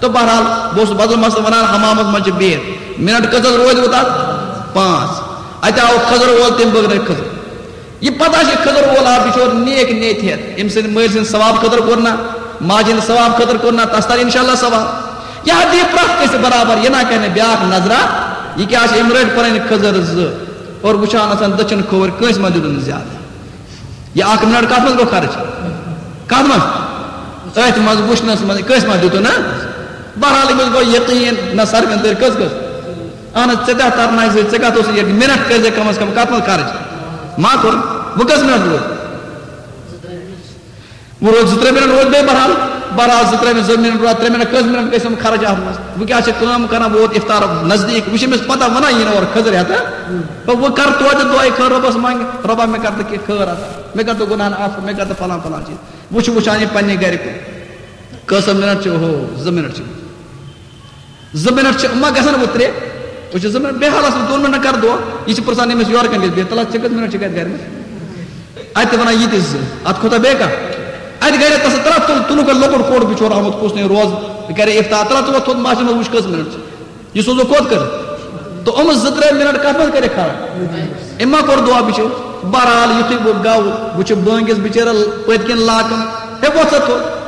تہٕ بہرحال، بہٕ اوسُس بدل مسلہٕ وَنان، حمامَس منٛز چھِ بِہِتھ، منٹ کٔژ حظ روزِ وۄنۍ تَتھ؟ پانٛژھ۔ اَتہِ آو کھٔزٕر وول، تٔمۍ بٲگرٲے کھٔزٕر۔ یہِ پَتہ چھِ کھٔزٕر وول آو بِچور نیک نیت ہٮ۪تھ، أمۍ سٕنٛدِ مٲلۍ سٕنٛدِ ثواب خٲطرٕ کوٚر نہ، ماجہِ ہٕنٛدِ ثواب خٲطرٕ کوٚر نہ، تَس تَرِ اِنشاءاللہ ثواب۔ یہِ ہا دِیہِ پرٛٮ۪تھ کٲنٛسہِ برابر، یہِ نہ کَرِ نہٕ بیٛاکھ نظرا، یہِ کیٛاہ چھِ، أمۍ رٔٹۍ پَنٕنۍ کھٔزٕر زٕ اور وٕچھان آسان دٔچھُن کھووُر، کٲنٛسہِ ما دیُتُن زیادٕ؟ یہِ اکھ منٹ کتھ منٛز گوٚو خرٕچ؟ کتھ منٛز؟ أتھۍ منٛز وٕچھنس منٛز، کٲنٛسہِ ما دیُتُن، ہا؟ بہرحال، أمِس گوٚو یقیٖن، نہ سرفن تٔرۍ کٔژ کٔژ؟ اہن حظ، ژےٚ تہِ ترناے زِ، ژےٚ کتھ اوسُے یہِ منٹ کٔرۍ زِ کم از کم، کتھ منٛز خرٕچ؟ ما کوٚر؟ وۄنۍ کٔژ منٹ روٗدۍ؟ وۄنۍ روٗدۍ زٕ ترٛےٚ منٹ، روٗدۍ بیٚیہِ بہرحال، بہرحال زٕ ترٛےٚ منٹ، زٕ منٹ روٗدۍ، ترٛےٚ منٹ، کٔژ منٹ گٔے تِم خرٕچ اتھ منٛز؟ وۄنۍ کیٛاہ چھِ کٲم کران، ووت ِفطار نزدیٖک، وۄنۍ چھِ أمِس پتہ، ونان یی نہٕ اورٕ کھٔزٕر ہٮ۪تھ، ہا؟ تہٕ وۄنۍ کر توتہِ دعایہِ خٲر رۄبس منٛگہِ، رۄبا، مےٚ کر تہٕ کینٛہہ خٲر اتھ، مےٚ کر تہٕ گۄناہن عفو، مےٚ کر تہٕ فلان فلان چیٖز۔ وۄنۍ چھُ وٕچھان یہِ پننہِ گرِ کُن۔ کٔژ منٹ چھِ؟ ہو، زٕ منٹ چھِ۔ زٕ منٹ چھِ، یِم ما گژھن وۄنۍ ترٛےٚ؟ وۄنۍ چھِ زٕ منٹ، بیٚیہِ حالس منٛز دۄن منٹن کر دعا۔ یہِ چھِ پرژھان أمِس یورٕ کَنہِ گژھِ بِہِتھ، تَلہ ژےٚ کٔژ منٹ چھِ گرِ، گرِ منٛز؟ اَتہِ تہِ وَنان یہِ تہِ زٕ، اَتھ کھۄتہٕ بیٚیہِ کانٛہہ؟ اَتہِ گرِ تَس ترٛٹھ تُل، تُلُکھ لۄکُٹ کورِ بِچور آمُت، کُس نے روز کرے افطار، تَلہ ژٕ وۄتھ تھوٚد ماچھِ منٛز وٕچھ کٔژ منٹ چھِ۔ یہِ سوزو کوٚت کٔرِتھ؟ تہٕ یِم زٕ ترٛےٚ منٹ کَتھ منٛز کٔرِکھ خراب؟ أمۍ ما کوٚر دعا بِچور؟ بہرحال، یُتھُے بہٕ گوٚو، بہٕ چھُس بٲنگِس بِچٲرِس پٔتۍ کِنۍ لاکان، ہے، وۄتھ سا تھوٚد۔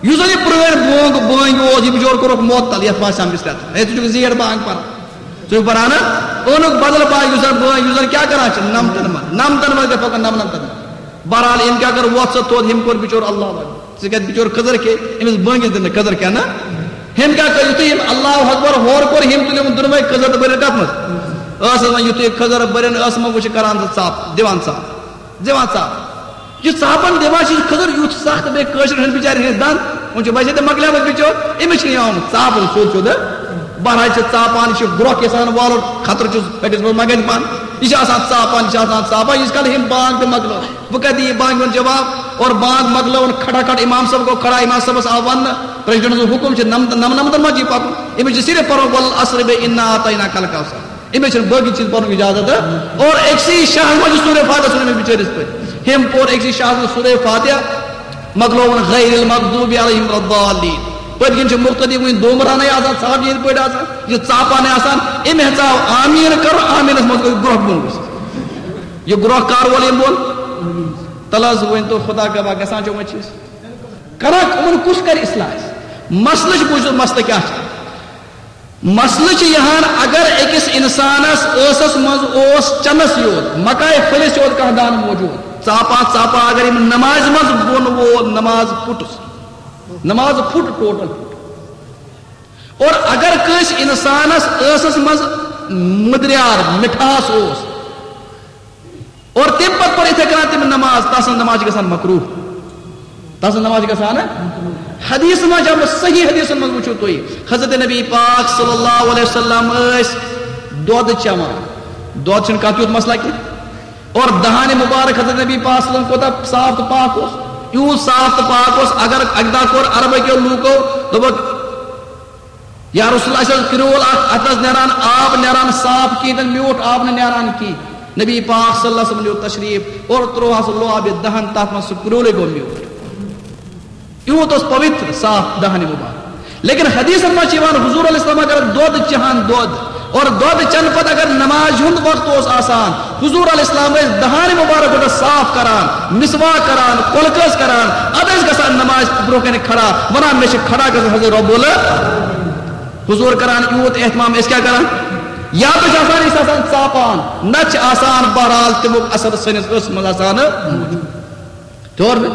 یُس زَن یہِ پرٛٲنۍ بونگ، بٲنگۍ اوس، یہِ بِچور کوٚرُکھ معطل، یَتھ ما سَمجھِس رٮ۪تھ۔ ہے، ژٕ چھُکھ زیٹھ بانگ پَران۔ ژٕ چھُکھ پَران نا؟ اوٚنُکھ بدل بانگ، یُس زَن بٲنگ، یُس زَن کیٛاہ کران چھِ؟ نَمتَن منٛز، نَمتَن منٛز گژھِ پَکُن، نَمنَمتَن منٛز۔ بہرحال، أمۍ کیٛاہ کٔر؟ وۄتھ سا تھوٚد، ہیٚمۍ کوٚر بِچور اللہ اکبر۔ ژٕ کَتہِ بِچور کھٔزٕر کھے؟ أمِس بٲنگِس دِنہٕ کھٔزٕر کھٮ۪نہٕ۔ ہیٚمۍ کیٛاہ کٔر؟ یُتھُے أمۍ اللہ اکبر ہورٕ کوٚر، ہیٚمۍ تُلۍ یِمَن دۄنوَے کھٔزٕر تہٕ بٔرِن کَتھ منٛز؟ ٲسَس منٛز۔ یُتھُے کھٔزٕر بٔرِن ٲسَس منٛز، وۄنۍ چھِ کران سُہ ژاپ، دِوان ژاپ، دِوان ژاپ۔ یہِ ژاپن دِوان چھِ، یہِ کھٔزٕر یُتھ سخت، بیٚیہِ کٲشِر ہُنٛد بِچارِ ہٕنٛز دَند، وۄنۍ چھُ ویسے تہِ مۄکلیومُت بِچور، أمِس چھِ یِوان ژاپُن سیوٚد سیوٚد۔ بہرحال چھِ ژاپان، یہِ چھِ گرٛۄکھ یَژھان والُن، خطرٕ چھُس پھٔٹِس منٛز ما گژھِ بنٛد۔ یہِ چھِ آسان ژاپان، یہِ چھِ آسان ژاپان، ییٖتِس کال ہیٚمۍ بانگ تہِ مۄکلٲو۔ وۄنۍ کَتہِ دِیہِ بانگہِ ہُنٛد جواب؟ اور بانگ مۄکلٲوٕن، کھٹا کھٹ امام صٲب گوٚو کھڑا، امام صٲبَس آو وَننہٕ، پریزیڈنٹ سُنٛد حُکُم چھُ، نَمتَن، نَمنَمتَن منٛز چھِ پَکُن۔ أمِس چھِ صرف پَرُن، "والعصر" بیٚیہِ "انا اعطیناک الکوثر"۔ أمِس چھُنہٕ باقٕے چیٖز پَرُن اِجازت۔ اور أکسٕے شاہَس منٛز چھُ سورہ فاتحہ ژھُنمُت بِچٲرِس پٔتۍ۔ ہیٚمۍ پوٚر أکسٕے شاہَس منٛز سورہ فاتحہ، مۄکلووُن "غیر المغضوب علیہم ولا الضالین"۔ پٔتۍ کِنۍ چھِ مُقتدی وٕنہِ دومرانَے آسان، ژھاوجہِ ہِنٛدۍ پٲٹھۍ آسان، یہِ ژاپانَے آسان۔ أمۍ ہیٚژاو آمیٖن کَرُن، آمیٖنَس منٛز گوٚو گرٛۄکھ بۄن ؤسِتھ۔ یہِ گرٛۄکھ کَر وول ییٚمۍ بۄن؟ تَلہٕ حظ ؤنۍ تو، خدا گواہ، گژھان چھُ وۄنۍ چیٖز؟ کران، یِمَن کُس کَرِ اصلاح اَسہِ؟ مسلہٕ چھُ، بوٗزِو مسلہٕ کیٛاہ چھُ۔ مسلہٕ چھُ یِہان، اگر أکِس اِنسانَس ٲسَس منٛز اوس چَنَس یوت، مکایہِ پھٔلِس یوت کانٛہہ دانہٕ موجود، ژاپان ژاپان اگر یِم نمازِ منٛز بۄن وول، نماز پھُٹُس، نماز پھُٹ، ٹوٹل پھُٹ۔ اور اگر کٲنٛسہِ اِنسانَس ٲسَس منٛز مٔدریار، مِٹھاس اوس، اور تَمہِ پتہٕ پٔر یِتھے کٔنۍ تٔمۍ نماز، تَسٕنٛز نماز چھِ گژھان مکروہ۔ تَسٕنٛز نماز چھِ گژھان، حدیث منٛز چھِ آمُت، صحیح حدیثن منٛز وٕچھِو تُہۍ، حضرت نبی پاک صلی اللہ علیہ وسلم ٲسۍ دۄد چٮ۪وان۔ دۄد چھُنہٕ کانٛہہ تیُتھ مسئلہ کینٛہہ۔ اور دہانِ مبارک حضرت نبی پاک صلی اللہ علیہ وسلم کوٗتاہ صاف تہٕ پاک اوس، یوٗت صاف تہٕ پاک اوس، اگر اَکہِ دۄہ کوٚر عربہٕ کیو لوٗکو، دوٚپُکھ، یا رسول اللہ، اَسہِ اوس کرٛول اکھ، اَتھ ٲس نیران آب، نیران صاف کِہیٖنۍ تہِ نہٕ، میوٗٹھ آب نہٕ نیران کِہیٖنۍ۔ نبی پاک صلی اللہ علیہ وسلم نیوٗ تشریف اور ترٛووہَس لعابِ دہن، تَتھ منٛز سُہ کرٛولٕے گوٚو میوٗٹھ۔ یوٗت اوس پویتر، صاف دہنِ مبارک۔ لیکن حدیثن منٛز چھِ یِوان، حضور علیہ السلام اگر دۄد چٮ۪ہان، دۄد، اور دۄد چٮ۪نہٕ پتہٕ اگر نمازِ ہُنٛد وقت اوس آسان، حضور علیہ السلام ٲسۍ دہانِ مبارک گۄڈٕ صاف کران، مسواک کران، کۄلہٕ کٔژ کران، اَدٕ ٲسۍ گژھان نمازِ برٛونٛہہ کنہِ کھڑا، وَنان، "مےٚ چھِ کھڑا گژھُن حضرت رب ال" حضور کران یوٗت اہتمام، أسۍ کیٛاہ کران؟ یا تہِ چھِ آسان أسۍ آسان ژاپان، نتہٕ چھِ آسان بہرحال تمیُک اثر سٲنِس ٲسس منٛز آسان۔ توٚر؟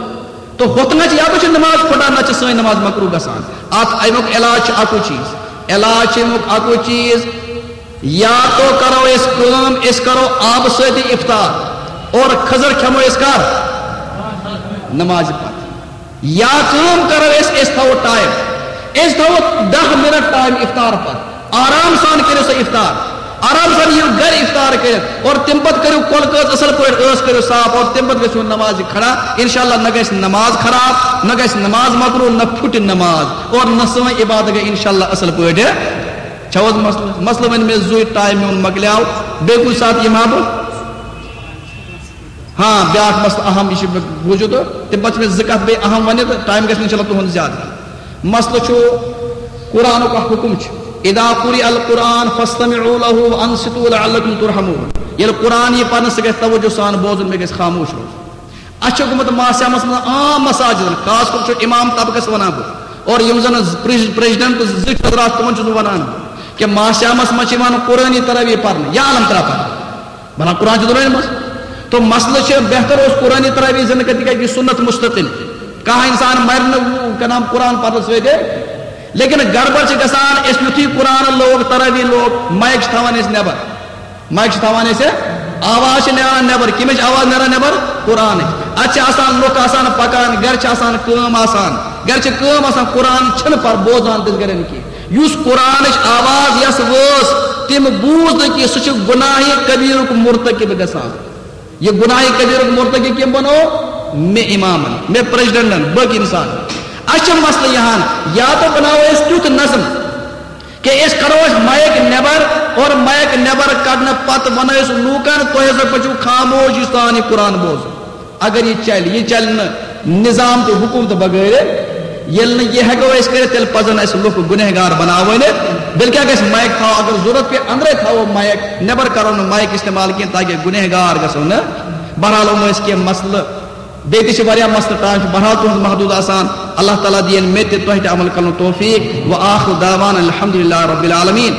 تو ہۄتھ نہ چھِ، یا تہِ چھِ نماز پھٹان، نتہٕ چھِ سٲنۍ نماز مکروہ گژھان۔ اتھ امیُک علاج چھُ اکُے چیٖز، علاج چھُ امیُک اکُے چیٖز، یا تو کرو أسۍ کٲم، أسۍ کرو آبہٕ سۭتی افطار اور کھٔزٕر کھٮ۪مو أسۍ کر؟ نمازِ پتہٕ۔ یا کٲم کرو أسۍ، أسۍ تھاوو ٹائم، أسۍ تھاوو دَہ منٹ ٹائم افطار پتہٕ۔ آرام سان کٔرِو سا افطار، آرام سان یِیِو گرِ افطار کٔرِتھ اور تَمہِ پتہٕ کٔرِو کۄلہٕ کٔژ اصل پٲٹھۍ، ٲس کٔرِو صاف اور تَمہِ پتہٕ گژھِو نمازِ کھڑا۔ انشاءاللہ نہ گژھِ نماز خراب، نہ گژھِ نماز مکروہ، نہ پھُٹہِ نماز اور نہ سٲنۍ عبادت گٔے انشاءاللہ اصل پٲٹھۍ۔ چھا حظ مسلہٕ؟ مسلہٕ وۄنۍ مےٚ زُے ٹائم میون مۄکلیو، بیٚیہِ کُنہِ ساتہٕ یِمہٕ ہا بہٕ۔ ہاں، بیٛاکھ مسلہٕ اہم، یہِ چھُ مےٚ بوٗزِو تہٕ تَمہِ پتہٕ چھِ مےٚ زٕ کتھ بیٚیہِ اہم ونہِ تہٕ ٹائم گژھِ نہٕ انشاءاللہ تُہُنٛد زیادٕ۔ مسلہٕ چھُ، قرآنُک اکھ حکم چھُ، "اذا قرئ القرآن فاستمعوا له وانصتوا لعلكم ترحمون"۔ ییٚلہِ قرآن یی پرنہٕ، سُہ گژھِ توجہ سان بوزُن، مےٚ گژھِ خاموش روزُن۔ اَسہِ چھُ گوٚمُت ماہ صیامس منٛز عام مساجدن، خاص کر چھُ امام طبقس ونان بہٕ، اور یِم زن پریز-، پریزیڈنٹ تہٕ زِٹھۍ حضرات، تِمن چھُس بہٕ ونان بہٕ، کہِ ماہ صیامس منٛز چھِ یِوان قرآنی تراویح پرنہٕ یا علم ترا پرنہٕ۔ بنان قرآن چھُ دۄنوَے منٛز۔ تو مسلہٕ چھُ، بہتر اوس قرآنی تراویح زندٕ کٔرِتھ، تِکیازِ یہِ چھُ سُنت مستقل۔ کانٛہہ انسان مرِ نہٕ کلام قرآن پرنہٕ سۭتۍ۔ لیکن گڑبڑ چھِ گژھان، أسۍ یُتھُے قرآن لوگ، تراویح لوگ، مایک چھِ تھاوان أسۍ نٮ۪بر۔ مایک چھِ تھاوان أسۍ، آواز چھِ نیران نٮ۪بر۔ کَمِچ آواز نیران نٮ۪بر؟ قرآنٕچ۔ اَتہِ چھِ آسان لُکھ آسان پکان، گرِ چھِ آسان کٲم آسان، گرِ چھِ کٲم آسان، قرآن چھِنہٕ پر بوزان تِژھ گرٮ۪ن کینٛہہ۔ یُس قرآنٕچ آواز یَس وٲژ، تٔمۍ بوٗز نہٕ کینٛہہ، سُہ چھُ گناہ کبیرُک مرتکب گژھان۔ یہِ گناہ کبیرُک مرتکب کٔمۍ بنوو؟ مےٚ امامن، مےٚ پریزیڈنٹن، باقی انسان۔ اَسہِ چھِ مسلہٕ یہِ ہن، یا تو بناوو أسۍ تیُتھ نظم کہ أسۍ کڑو أسۍ مایک نٮ۪بر، اور مایک نٮ۪بر کڑنہٕ پتہٕ ونو أسۍ لوٗکن، تُہۍ ہسا پٔکِو خاموشی سان یہِ قرآن بوزُن۔ اگر یہِ چلہِ، یہِ چلہِ نہٕ، نظام تہٕ حکومت بغٲر، ییٚلہِ نہٕ یہِ ہٮ۪کو أسۍ کٔرِتھ، تیٚلہِ پزن اَسہِ لُکھ گُنہگار بناوٕنۍ۔ بلکہِ گژھِ مایک تھاوو، اگر ضروٗرت پیٚیہِ، اندرے تھاوو مایک، نٮ۪بر کرو نہٕ مایک استعمال کینٛہہ، تاکہ گُنہگار گژھو نہٕ۔ بہرحال، یِم ٲسۍ کینٛہہ مسلہٕ، بیٚیہِ تہِ چھِ واریاہ مسلہٕ، ٹائم چھُ بہرحال تُہُنٛد محدوٗد آسان۔ اللہ تعالیٰ دِیِن مےٚ تہِ تۄہہِ تہِ عمل کرنُک توفیق۔ وآخر دعوانا الحمدللہ رب العالمین۔